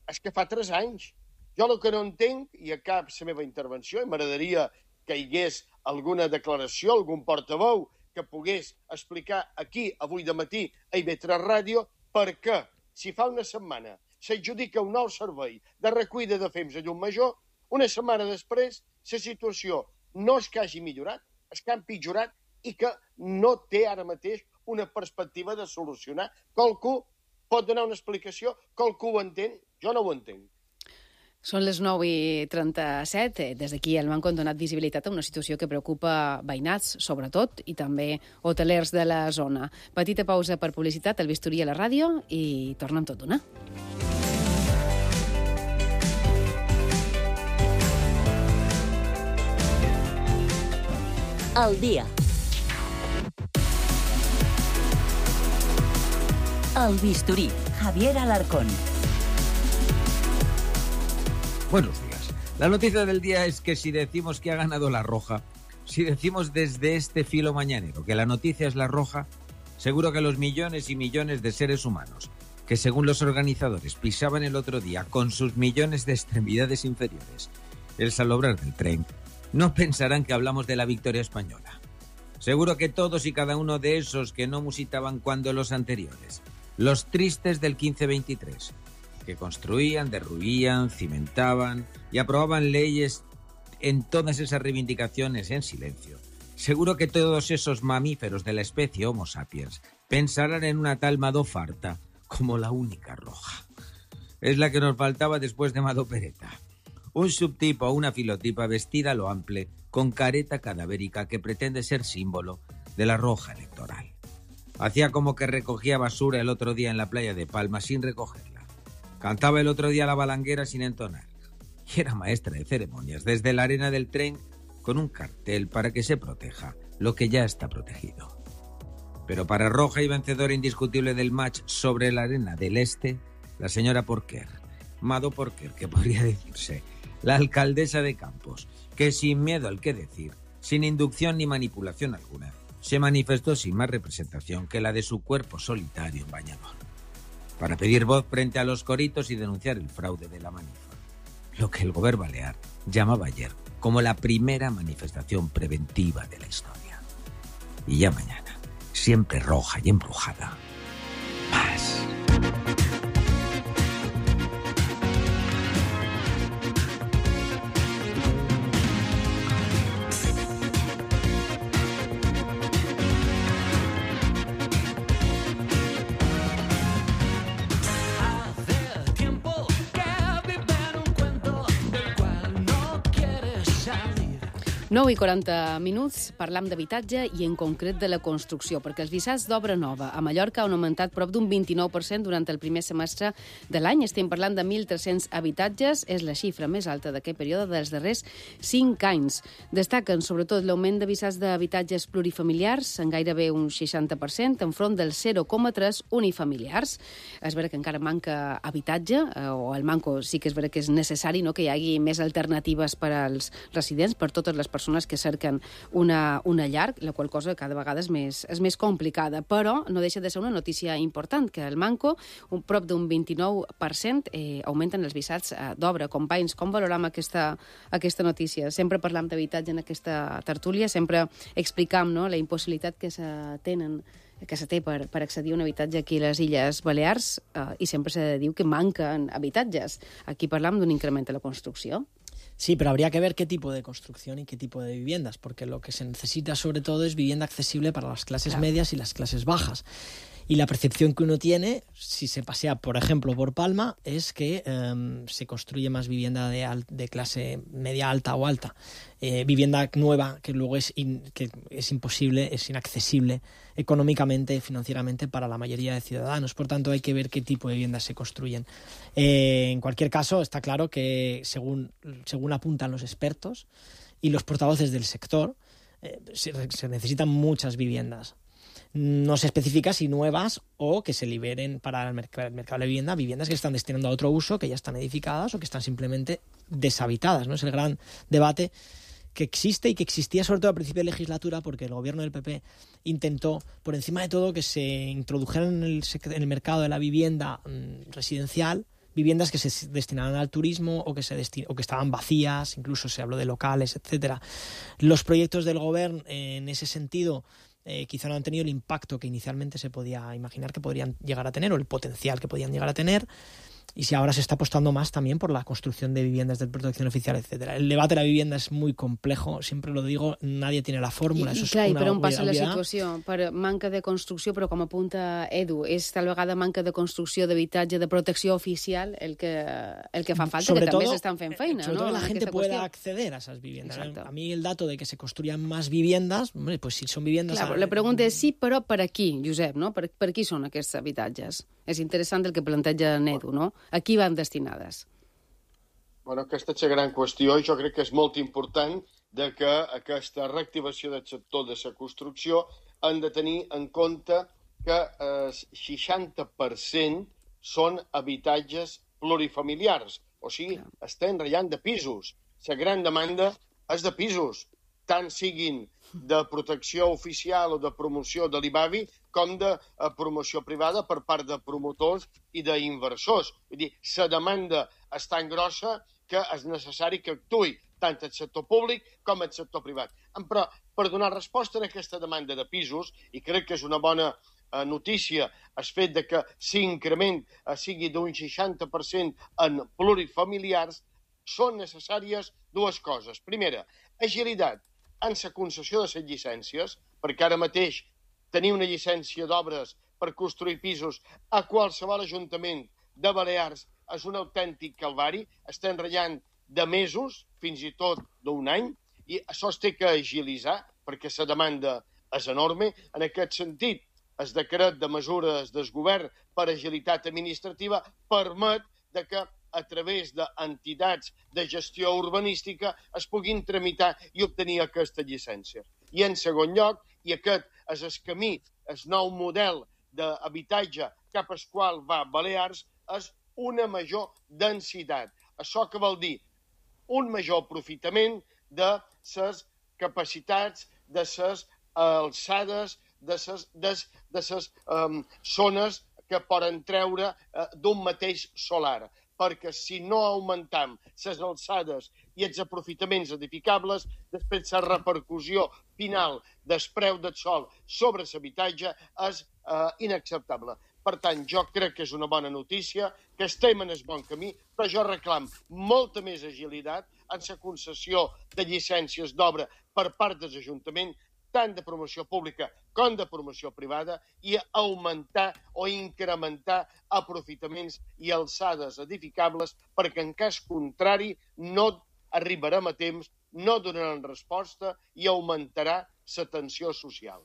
és que fa tres anys. Jo el que no entenc, i acabo la meva intervenció, i m'agradaria que hi hagués alguna declaració, algun portaveu que pogués explicar aquí, avui de matí, a I V tres Ràdio, per què, si fa una setmana s'adjudica un nou servei de recollida de fems a Llucmajor, una setmana després la situació no és que hagi millorat, és que ha empitjorat i que no té ara mateix una perspectiva de solucionar. Qualcú pot donar una explicació, qualcú ho entén, jo no ho entenc.
Són les nou i trenta-set. Des d'aquí el Manco han donat visibilitat a una situació que preocupa veïnats, sobretot, i també hotelers de la zona. Petita pausa per publicitat, el bisturí a la ràdio, i tornem tot d'una.
Al día. El bisturí, Javier Alarcón.
Buenos días. La noticia del día es que si decimos que ha ganado la Roja, si decimos desde este filo mañanero que la noticia es la Roja, seguro que los millones y millones de seres humanos que, según los organizadores, pisaban el otro día con sus millones de extremidades inferiores el salobrar del tren, no pensarán que hablamos de la victoria española. Seguro que todos y cada uno de esos que no musitaban cuando los anteriores, los tristes del quince veintitrés, que construían, derruían, cimentaban y aprobaban leyes en todas esas reivindicaciones en silencio, seguro que todos esos mamíferos de la especie Homo sapiens pensarán en una tal Madó Farta como la única roja. Es la que nos faltaba después de Madó Pereta. Un subtipo o una filotipa vestida a lo ample, con careta cadavérica que pretende ser símbolo de la roja electoral. Hacía como que recogía basura el otro día en la playa de Palma sin recogerla. Cantaba el otro día la balanguera sin entonar. Y era maestra de ceremonias desde la arena del tren con un cartel para que se proteja lo que ya está protegido. Pero para roja y vencedora indiscutible del match sobre la arena del este, la señora Porquer, Madó Porquer, que podría decirse, la alcaldesa de Campos, que sin miedo al que decir, sin inducción ni manipulación alguna, se manifestó sin más representación que la de su cuerpo solitario en bañador, para pedir voz frente a los coritos y denunciar el fraude de la manifa, lo que el Govern balear llamaba ayer como la primera manifestación preventiva de la historia. Y ya mañana, siempre roja y embrujada, más.
nou i quaranta minuts, parlam d'habitatge i en concret de la construcció, perquè els visats d'obra nova a Mallorca han augmentat prop d'un vint-i-nou per cent durant el primer semestre de l'any. Estem parlant de mil tres-cents habitatges, és la xifra més alta d'aquest període dels darrers cinc anys. Destaquen sobretot l'augment de visats d'habitatges plurifamiliars, en gairebé un seixanta per cent, enfront del zero coma tres unifamiliars. És vera que encara manca habitatge, o el manco sí que és vera que és necessari, no?, que hi hagi més alternatives per als residents, per totes les persones que cerquen una, una llar, la qual cosa cada vegada és més, és més complicada, però no deixa de ser una notícia important, que el manco, un prop d'un vint-i-nou per cent, eh, augmenten els visats eh, d'obra. Companys, com valoram aquesta, aquesta notícia? Sempre parlam d'habitatge en aquesta tertúlia, sempre explicam, no?, la impossibilitat que se tenen que se té per, per accedir a un habitatge aquí a les Illes Balears eh, i sempre se diu que manquen habitatges. Aquí parlam d'un increment de la construcció.
Sí, pero habría que ver qué tipo de construcción y qué tipo de viviendas, porque lo que se necesita sobre todo es vivienda accesible para las clases claro. medias y las clases bajas. Y la percepción que uno tiene, si se pasea, por ejemplo, por Palma, es que eh, se construye más vivienda de, al, de clase media alta o alta. Eh, vivienda nueva que luego es, in, que es imposible, es inaccesible económicamente, financieramente para la mayoría de ciudadanos. Por tanto, hay que ver qué tipo de viviendas se construyen. Eh, en cualquier caso, está claro que, según, según apuntan los expertos y los portavoces del sector, eh, se, se necesitan muchas viviendas. No se especifica si nuevas o que se liberen para el mercado, el mercado de vivienda, viviendas que están destinando a otro uso, que ya están edificadas o que están simplemente deshabitadas, ¿no? Es el gran debate que existe y que existía sobre todo a principio de legislatura, porque el gobierno del P P intentó, por encima de todo, que se introdujeran en el, en el mercado de la vivienda mmm, residencial viviendas que se destinaran al turismo o que, se destin- o que estaban vacías, incluso se habló de locales, etcétera. Los proyectos del gobierno en ese sentido Eh, quizá no han tenido el impacto que inicialmente se podía imaginar que podrían llegar a tener o el potencial que podían llegar a tener. Y si ahora se está apostando más también por la construcción de viviendas de protección oficial, etcétera. El debate de la vivienda és muy complejo, siempre lo digo, nadie tiene la fórmula.
I,
Eso
i clar,
és
i
una
per on passa la
obviedad.
situació? Per manca de construcció, però com apunta Edu, és tal vegada manca de construcció d'habitatge de protecció oficial el que, el que fa falta,
Sobre
que també
todo,
s'estan fent feina,
sobre
¿no?,
todo que la
en
gente
aquesta
pueda
qüestió.
acceder a esas viviendas.
Exacto.
A mí el dato de que se construyan más viviendas, hombre, pues si son viviendas...
Clar,
a...
la pregunta és sí, però per a qui, Josep, no? Per, per qui són aquests habitatges? És interessant el que planteja Edu, no? A qui van destinades?
Bueno, aquesta és la gran qüestió i jo crec que és molt important de que aquesta reactivació del sector de la construcció han de tenir en compte que el seixanta per cent són habitatges plurifamiliars, o sigui, estem ratllant de pisos. La gran demanda és de pisos, tant siguin de protecció oficial o de promoció de l'I B A B I com de promoció privada per part de promotors i d'inversors. Vull dir, la demanda és tan grossa que és necessari que actuï tant el sector públic com el sector privat. Però per donar resposta a aquesta demanda de pisos, i crec que és una bona eh, notícia el fet de que l'increment eh, sigui d'un seixanta per cent en plurifamiliars, són necessàries dues coses. Primera, agilitat en la concessió de les llicències, perquè ara mateix tenir una llicència d'obres per construir pisos a qualsevol ajuntament de Balears és un autèntic calvari, estem ratllant de mesos, fins i tot d'un any, i això es té que agilitzar perquè la demanda és enorme. En aquest sentit, el decret de mesures del govern per agilitat administrativa permet de que a través d'entitats de gestió urbanística es puguin tramitar i obtenir aquesta llicència. I en segon lloc, i aquest és el camí, el nou model d'habitatge cap al qual va Balears, és una major densitat. Això que vol dir un major aprofitament de les capacitats, de les alçades, de les de, de ses, um, zones que poden treure uh, d'un mateix solar. Perquè si no augmentam les alçades i els aprofitaments edificables, després la repercussió final del preu del sol sobre l'habitatge és uh, inacceptable. Per tant, jo crec que és una bona notícia, que estem en el bon camí, però jo reclam molta més agilitat en la concessió de llicències d'obra per part dels ajuntaments, tant de promoció pública com de promoció privada, i augmentar o incrementar aprofitaments i alçades edificables, perquè en cas contrari no arribarem a temps, no donaran resposta i augmentarà la tensió social.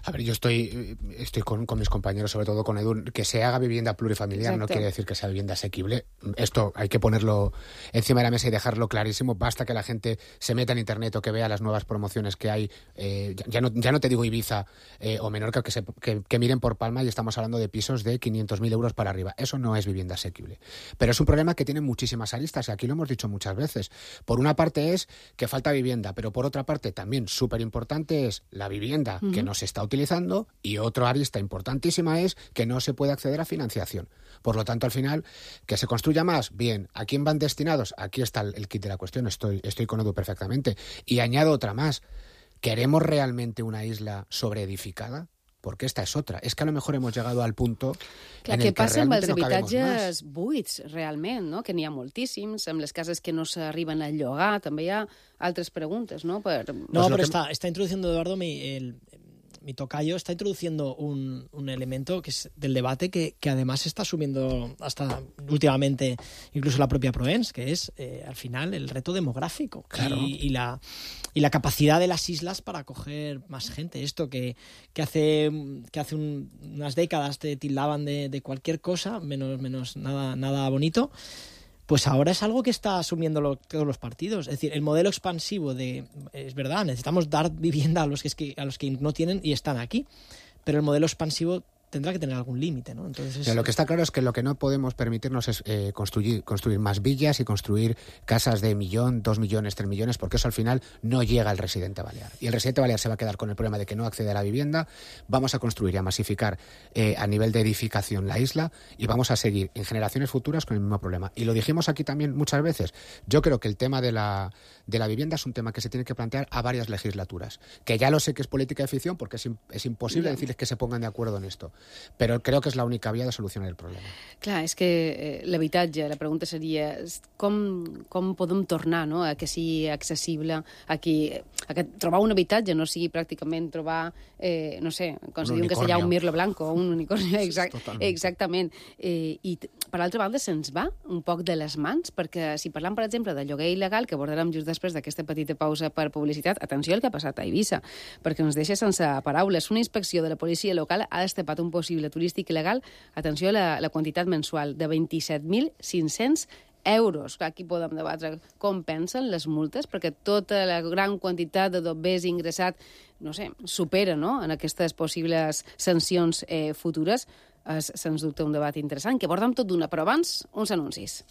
A ver, yo estoy, estoy con, con mis compañeros, sobre todo con Edu, que se haga vivienda plurifamiliar. Exacto. No quiere decir que sea vivienda asequible. Esto hay que ponerlo encima de la mesa y dejarlo clarísimo. Basta que la gente se meta en internet o que vea las nuevas promociones que hay. Eh, ya, no, ya no te digo Ibiza eh, o Menorca, que, se, que, que miren por Palma, y estamos hablando de pisos de quinientos mil euros para arriba. Eso no es vivienda asequible. Pero es un problema que tiene muchísimas aristas, y aquí lo hemos dicho muchas veces. Por una parte es que falta vivienda, pero por otra parte también súper importante es la vivienda uh-huh. que no se está utilizando, y otra arista importantísima es que no se puede acceder a financiación. Por lo tanto, al final, que se construya más, bien. ¿A quién van destinados? Aquí está el, el kit de la cuestión, estoy, estoy con Edu perfectamente. Y añado otra más. ¿Queremos realmente una isla sobreedificada? Porque esta és otra. És que a lo mejor hemos llegado al punto
Clar,
en el
que, que realment no cabemos más. Què passa amb els habitatges buits, realment, no? Que n'hi ha moltíssims, amb les cases que no s'arriben a llogar, també hi ha altres preguntes, no? Per...
No, pero que... está, está introduciendo, Eduardo, mi, el, mi tocayo está introduciendo un, un elemento que es del debate que, que además está asumiendo hasta últimamente incluso la propia Proens, que es eh, al final el reto demográfico claro. y, y, la, y la capacidad de las islas para acoger más gente. Esto que, que hace, que hace un, unas décadas te tildaban de, de cualquier cosa, menos, menos nada, nada bonito, pues ahora es algo que está asumiendo lo, todos los partidos. Es decir, el modelo expansivo de... Es verdad, necesitamos dar vivienda a los que, a los que no tienen y están aquí, pero el modelo expansivo tendrá que tener algún límite, ¿no? Entonces,
lo que está claro es que lo que no podemos permitirnos es eh, construir, construir más villas y construir casas de millón, dos millones, tres millones, porque eso al final no llega al residente balear. Y el residente balear se va a quedar con el problema de que no accede a la vivienda. Vamos a construir y a masificar eh, a nivel de edificación la isla, y vamos a seguir en generaciones futuras con el mismo problema. Y lo dijimos aquí también muchas veces. Yo creo que el tema de la, de la vivienda es un tema que se tiene que plantear a varias legislaturas. Que ya lo sé que es política de ficción, porque es, es imposible yeah. decirles que se pongan de acuerdo en esto. Però crec que és l'única via de solucionar el problema.
Clar, és que eh, l'habitatge, la pregunta seria com, com podem tornar, no?, a que sigui accessible, a que, a que trobar un habitatge no sigui pràcticament trobar, eh, no sé, com se diu en castellà, un mirlo blanco, un unicornio, exact, exactament. Eh, I per l'altra banda se'ns va un poc de les mans, perquè si parlam, per exemple, de lloguer il·legal, que abordarem just després d'aquesta petita pausa per publicitat, atenció al que ha passat a Eivissa, perquè ens deixa sense paraules. Una inspecció de la policia local ha destapat un possible turístic il·legal, atenció a la, la quantitat mensual, de vint-i-set mil cinc-cents euros. Aquí podem debatre com pensen les multes, perquè tota la gran quantitat de dobbers ingressat, no sé, supera, no?, en aquestes possibles sancions eh, futures. És, sens dubte, un debat interessant, que abordem tot d'una, però abans, uns anuncis.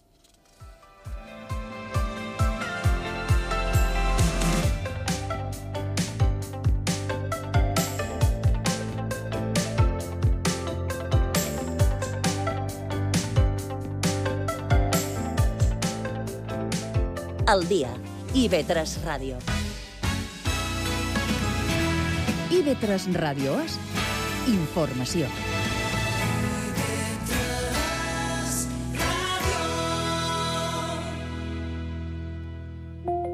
El dia. I ve tres Ràdio.
I ve tres Ràdio és informació.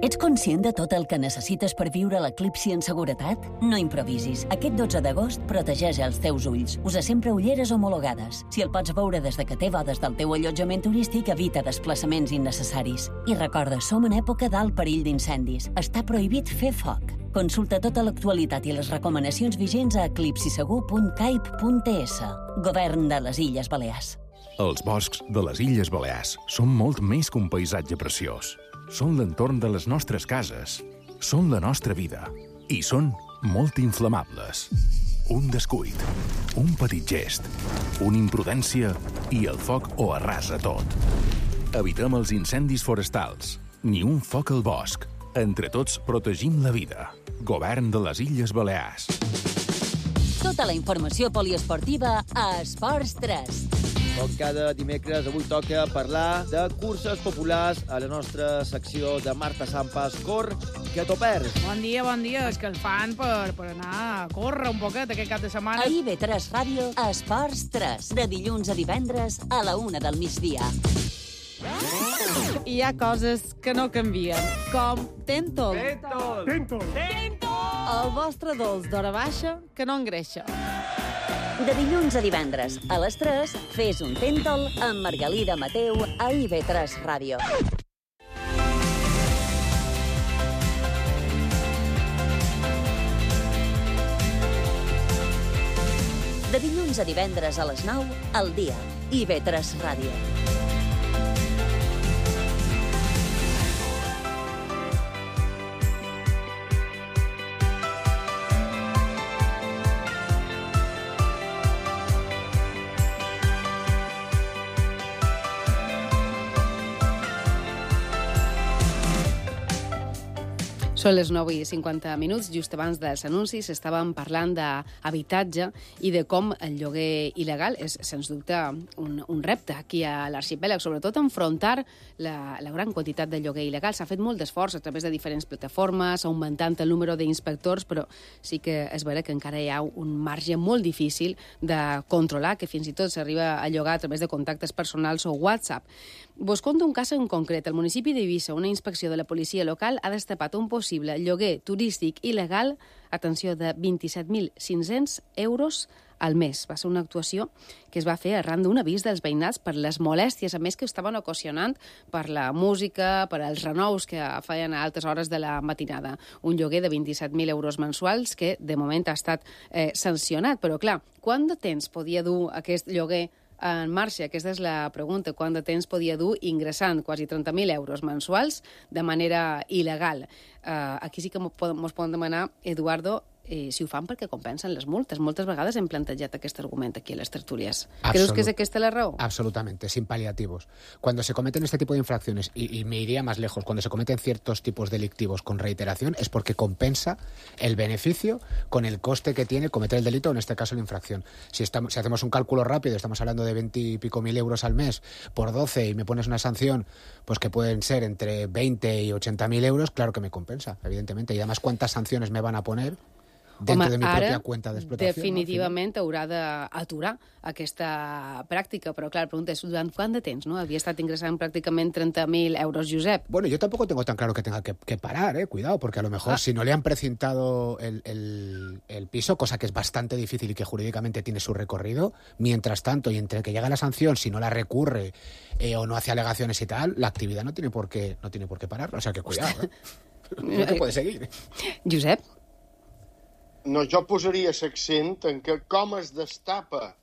Ets conscient de tot el que necessites per viure l'eclipsi en seguretat? No improvisis. Aquest dotze d'agost protegeix els teus ulls. Usa sempre ulleres homologades. Si el pots veure des de que té bodes del teu allotjament turístic, evita desplaçaments innecessaris. I recorda, som en època d'alt perill d'incendis. Està prohibit fer foc. Consulta tota l'actualitat i les recomanacions vigents a eclipsisegur punt caip punt es. Govern de les Illes Balears.
Els boscs de les Illes Balears són molt més que un paisatge preciós. Són l'entorn de les nostres cases, són la nostra vida i són molt inflamables. Un descuit, un petit gest, una imprudència i el foc ho arrasa tot. Evitem els incendis forestals. Ni un foc al bosc. Entre tots protegim la vida. Govern de les Illes Balears.
Tota la informació poliesportiva a Esports tres.
Com cada dimecres, avui toca parlar de curses populars a la nostra secció de Marta Sampas. Cor, que t'ho perds.
Bon dia, bon dia. És que el fan per, per anar a córrer un poquet aquest cap de setmana.
A I B tres Ràdio, Esports tres. De dilluns a divendres a la una del migdia.
Hi ha coses que no canvien, com Tentol.
Tentol. Tentol.
Tentol. El vostre dolç d'hora baixa que no engreixa.
De dilluns a divendres a les tres, fes un Tentol amb Margalida Mateu a I B tres Ràdio. De dilluns a divendres a les nou, al dia, I B tres Ràdio.
Són les nou i cinquanta minuts, just abans dels anuncis estàvem parlant d'habitatge i de com el lloguer il·legal és, sens dubte, un, un repte aquí a l'arxipèlag, sobretot enfrontar la, la gran quantitat de lloguer il·legal. S'ha fet molt d'esforç a través de diferents plataformes, augmentant el número d'inspectors, però sí que és vera que encara hi ha un marge molt difícil de controlar, que fins i tot s'arriba a llogar a través de contactes personals o WhatsApp. Vos conto un cas en concret. Al municipi d'Eivissa, una inspecció de la policia local ha destapat un possible lloguer turístic il·legal, atenció, de vint-i-set mil cinc-cents euros al mes. Va ser una actuació que es va fer arran d'un avís dels veïnats per les molèsties, a més que estaven ocasionant per la música, per als renous que feien a altes hores de la matinada. Un lloguer de vint-i-set mil euros mensuals que de moment ha estat eh, sancionat. Però clar, quant de temps podia dur aquest lloguer en marxa? Aquesta és la pregunta. Quant de temps podia dur ingressant quasi trenta mil euros mensuals de manera il·legal? Uh, aquí sí que mos poden demanar, Eduardo, eh, si ho fan perquè compensen les multes. Moltes vegades hem plantejat aquest argument aquí a les tertúlies.
Absolut.
¿Creus que es aquesta la raó?
Absolutamente, sin paliativos. Cuando se cometen este tipo de infracciones, y, y me iría más lejos, cuando se cometen ciertos tipos delictivos con reiteración, es porque compensa el beneficio con el coste que tiene cometer el delito, o en este caso la infracción. Si, estamos, si hacemos un cálculo rápido, estamos hablando de veinte y pico mil euros al mes por doce y me pones una sanción pues que pueden ser entre veinte y ochenta mil euros, claro que me compensa, evidentemente. Y además, ¿cuántas sanciones me van a poner dentro
Home,
de mi
ara,
pròpia cuenta d'explotació?
definitivament no? haurà d'aturar aquesta pràctica, però clar, la pregunta és durant quant de temps, no? Havia estat ingressant pràcticament treinta mil euros, Josep.
Bueno, yo tampoco tengo tan claro que tenga que, que parar, eh, cuidado, porque a lo mejor
Ah.
si no le han precintado el, el, el piso, cosa que es bastante difícil y que jurídicamente tiene su recorrido, mientras tanto, y entre que llega la sanción, si no la recurre eh, o no hace alegaciones y tal, la actividad no tiene por qué, no tiene por qué parar, o sea que cuidado, eh. No te puede seguir.
Josep?
No, jo posaria l'accent en que com es destapa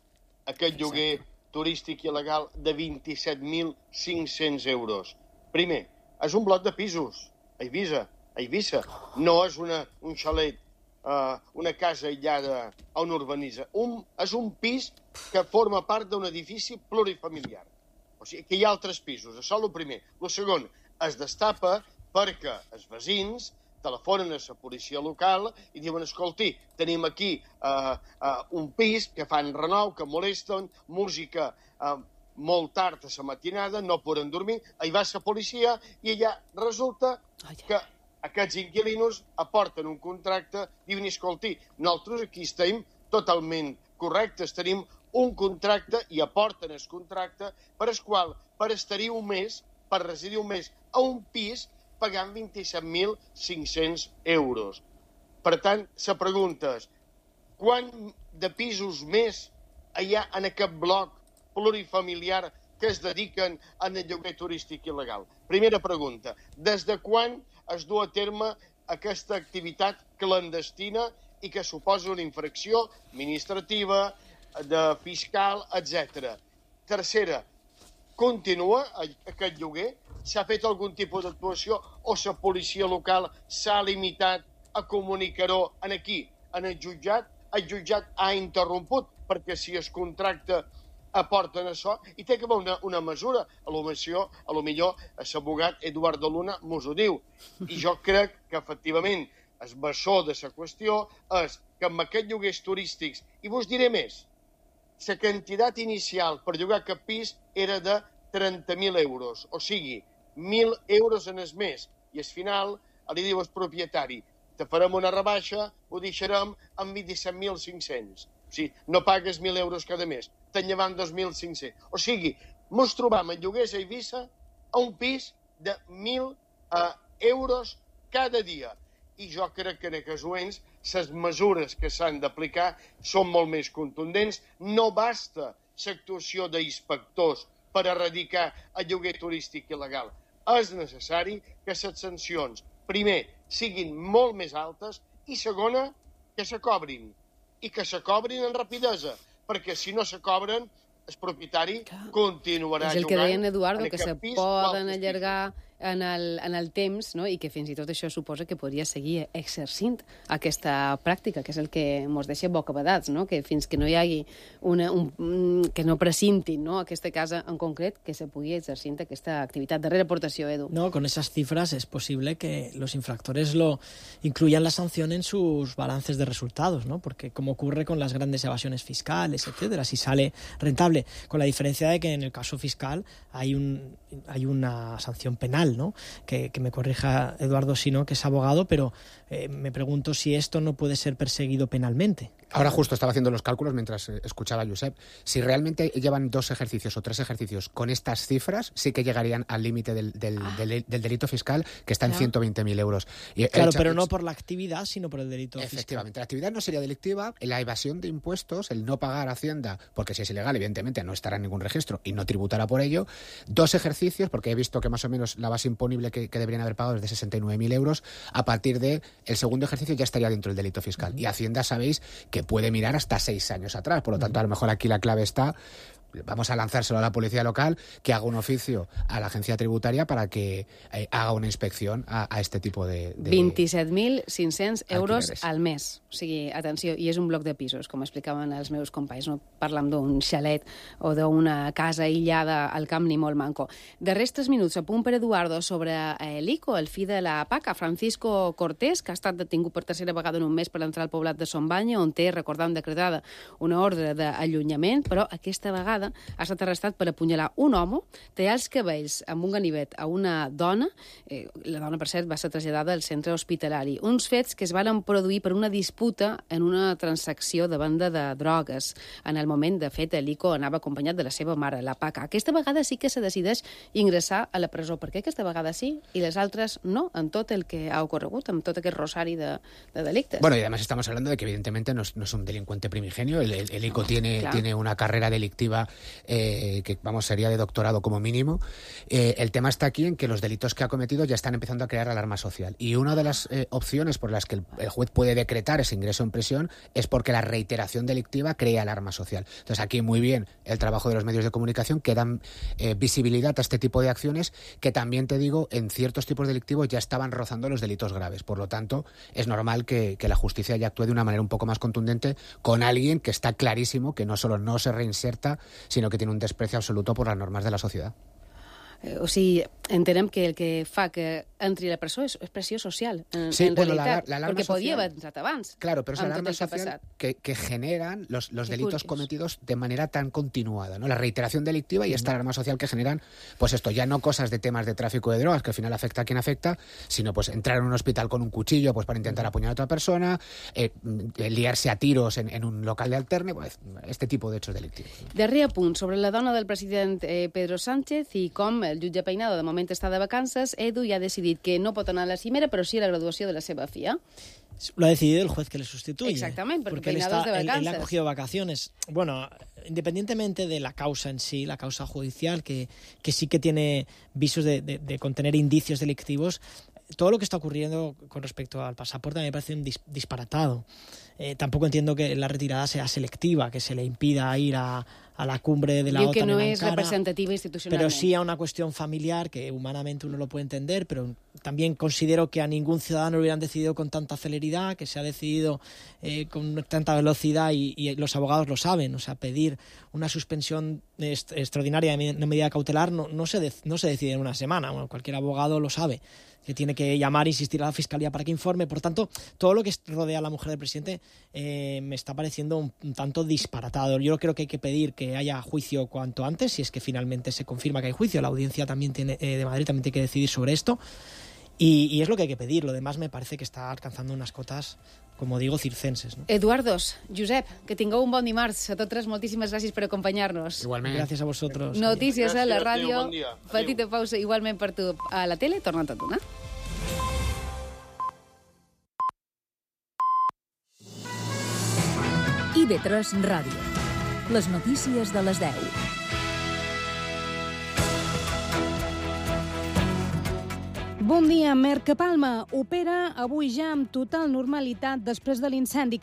aquest lloguer turístic il·legal de vint-i-set mil cinc-cents euros. Primer, és un bloc de pisos a Eivissa, a Eivissa. No és una, un xalet, uh, una casa aïllada a un urbanitza. Un, és un pis que forma part d'un edifici plurifamiliar. O sigui, que hi ha altres pisos. Això és el primer. El segon, es destapa perquè els veïns telefonen a la policia local i diuen, escolti, tenim aquí uh, uh, un pis que fan renou, que molesten, música uh, molt tard a la matinada, no poden dormir, hi va la policia i allà resulta que aquests inquilinos aporten un contracte, diuen, escolti, nosaltres aquí estem totalment correctes, tenim un contracte i aporten el contracte per el qual, per estar-hi un mes, per residir un mes a un pis, pagant vint-i-set mil cinc-cents euros. Per tant, la pregunta és, quant de pisos més hi ha en aquest bloc plurifamiliar que es dediquen al lloguer turístic il·legal? Primera pregunta, des de quan es du a terme aquesta activitat clandestina i que suposa una infracció administrativa, de fiscal, etcètera? Tercera, continua aquest lloguer? S'ha fet algun tipus d'actuació o la policia local s'ha limitat a comunicar-ho aquí, en el jutjat? El jutjat ha interromput, perquè si el contracte aporten això, i té que haver una, una mesura. A lo millor, a lo millor, l'abogat Eduardo Luna mos ho diu. I jo crec que, efectivament, el bessó de la qüestió és que amb aquests lloguers turístics, i vos diré més, la quantitat inicial per llogar aquest pis era de trenta mil euros, o sigui, mil euros en el mes, i al final li diu al propietari, te farem una rebaixa, ho deixarem amb vint-i-set mil cinc-cents. O sigui, no pagues mil euros cada mes, te'n llevant dos mil cinc-cents. O sigui, mos trobam en lloguers a Eivissa a un pis de mil uh, euros cada dia. I jo crec que en aquests moments les mesures que s'han d'aplicar són molt més contundents. No basta l'actuació d'inspectors per erradicar el lloguer turístic il·legal. És necessari que les sancions, primer, siguin molt més altes i, segona, que se cobrin. I que se cobrin en rapidesa, perquè si no se cobren, el propietari continuarà jugant.
És el que deien, Eduardo, que se
pis,
poden allargar en el, en el temps, no? I que fins i tot això suposa que podria seguir exercint aquesta pràctica, que és el que ens deixa bocabadats, no? Que fins que no hi hagi una, un, que no precintin, no? Aquesta casa en concret, que se pugui exercint aquesta activitat. Darrera aportació, Edu.
No, con esas cifras es posible que los infractores lo incluyan la sanción en sus balances de resultados, ¿no? Porque como ocurre con las grandes evasiones fiscales, etcétera, si sale rentable, con la diferencia de que en el caso fiscal hay un hay una sanción penal, ¿no? Que, que me corrija Eduardo Sino, que es abogado, pero eh, me pregunto si esto no puede ser perseguido penalmente.
Ahora justo estaba haciendo los cálculos mientras escuchaba a Josep. Si realmente llevan dos ejercicios o tres ejercicios con estas cifras, sí que llegarían al límite del, del, ah. del, del delito fiscal, que está en
claro.
ciento veinte mil euros. Y
claro,
hecho,
pero no por la actividad, sino por el delito
efectivamente,
fiscal.
Efectivamente, la actividad no sería delictiva, la evasión de impuestos, el no pagar Hacienda, porque si es ilegal, evidentemente no estará en ningún registro y no tributará por ello. Dos ejercicios, porque he visto que más o menos la base imponible que, que deberían haber pagado es de sesenta y nueve mil euros. A partir del segundo ejercicio ya estaría dentro del delito fiscal. Uh-huh. Y Hacienda sabéis que puede mirar hasta seis años atrás. Por lo tanto, a lo mejor aquí la clave está, vamos a lanzárselo a la policía local, que haga un oficio a la agencia tributaria para que eh, haga una inspección a, a este tipo de... de
vint-i-set mil cinc-cents euros
alquileres.
al mes. O sigui, atenció, i és un bloc de pisos, com explicaven els meus companys. No parlam d'un xalet o d'una casa aïllada al camp ni molt manco. De restes minuts, a punt per Eduardo sobre eh, l'Ico, el fill de la PACA, Francisco Cortés, que ha estat detingut per tercera vegada en un mes per entrar al poblat de Son Banya, on té, recordam, decretada una ordre d'allunyament, però aquesta vegada ha estat arrestat per apunyalar un home, tallar els cabells amb un ganivet a una dona. Eh, la dona, per cert, va ser traslladada al centre hospitalari. Uns fets que es van produir per una disputa en una transacció de venda de drogues. En el moment, de fet, l'Ico anava acompanyat de la seva mare, la PACA. Aquesta vegada sí que se decideix ingressar a la presó. Per què aquesta vegada sí i les altres no, en tot el que ha ocorregut, amb tot aquest rosari de, de delictes?
Bueno, y además estamos hablando de que evidentemente no es, no es un delincuente primigenio. El, el, el ICO tiene,
claro.
tiene una carrera delictiva eh, que, vamos, sería de doctorado como mínimo. Eh, el tema está aquí en que los delitos que ha cometido ya están empezando a crear alarma social. Y una de las eh, opciones por las que el, el juez puede decretar ese ingreso en prisión es porque la reiteración delictiva crea alarma social. Entonces, aquí muy bien el trabajo de los medios de comunicación que dan eh, visibilidad a este tipo de acciones que también, te digo, en ciertos tipos delictivos ya estaban rozando los delitos graves. Por lo tanto, es normal que, que la justicia ya actúe de una manera un poco más contundente con alguien que está clarísimo que no solo no se reinserta, sino que tiene un desprecio absoluto por las normas de la sociedad.
Eh, o sigui, entenem que el que fa que entri a la presó és, és pressió social, en,
sí,
en
bueno,
realitat,
la, la
perquè
social,
podia haver entrat abans.
Claro, pero es la alarma
que
social que, que generan los, los delitos
curioso.
cometidos de manera tan continuada, ¿no? La reiteración delictiva y esta alarma social que generan, pues esto, ya no cosas de temas de tráfico de drogas, que al final afecta a quien afecta, sino pues entrar en un hospital con un cuchillo pues para intentar apuñalar a otra persona, eh, liarse a tiros en, en un local de alterne, pues este tipo de hechos delictivos.
Darrer apunt sobre la dona del president eh, Pedro Sánchez i com el jutge Peinado de moment està de vacances. Edu ja ha decidit que no pot anar a la cimera, però sí a la graduació de la seva filla.
Lo ha decidido el juez que le sustituye.
Exactamente, porque,
porque él,
Peinado
está,
es de
él,
vacances.
él ha cogido vacaciones. Bueno, independientemente de la causa en sí, la causa judicial, que, que sí que tiene visos de, de, de contener indicios delictivos, todo lo que está ocurriendo con respecto al pasaporte a mí me parece un dis, disparatado. Eh, tampoco entiendo que la retirada sea selectiva, que se le impida ir a, a la cumbre de la
Diu
OTAN
que no
en
es
Ankara,
representativa institucionalmente.
pero sí a una cuestión familiar que humanamente uno lo puede entender, pero también considero que a ningún ciudadano lo hubieran decidido con tanta celeridad, que se ha decidido eh, con tanta velocidad y, y los abogados lo saben. O sea, pedir una suspensión est extraordinaria de una medida cautelar no, no, se de no se decide en una semana. Bueno, cualquier abogado lo sabe, que tiene que llamar e insistir a la Fiscalía para que informe. Por tanto, todo lo que rodea a la mujer del presidente eh, me está pareciendo un, un tanto disparatado. Yo creo que hay que pedir que haya juicio cuanto antes, si es que finalmente se confirma que hay juicio. La audiencia también tiene, eh, de Madrid también tiene que decidir sobre esto. Y, y es lo que hay que pedir. Lo demás me parece que está alcanzando unas cotas, como digo, circenses. ¿no?
Eduardos, Josep, que tingueu un bon dimarts. A tots tres, moltíssimes gràcies per acompanyar-nos.
Igualment. Gràcies a vosotros.
Notícies a la
Gràcies,
ràdio.
adéu, bon dia.
Petita pausa igualment per tu. A la tele, tornant a donar.
I V tres Ràdio. Les notícies de les deu.
Bon dia. Mercapalma opera avui ja amb total normalitat després de l'incendi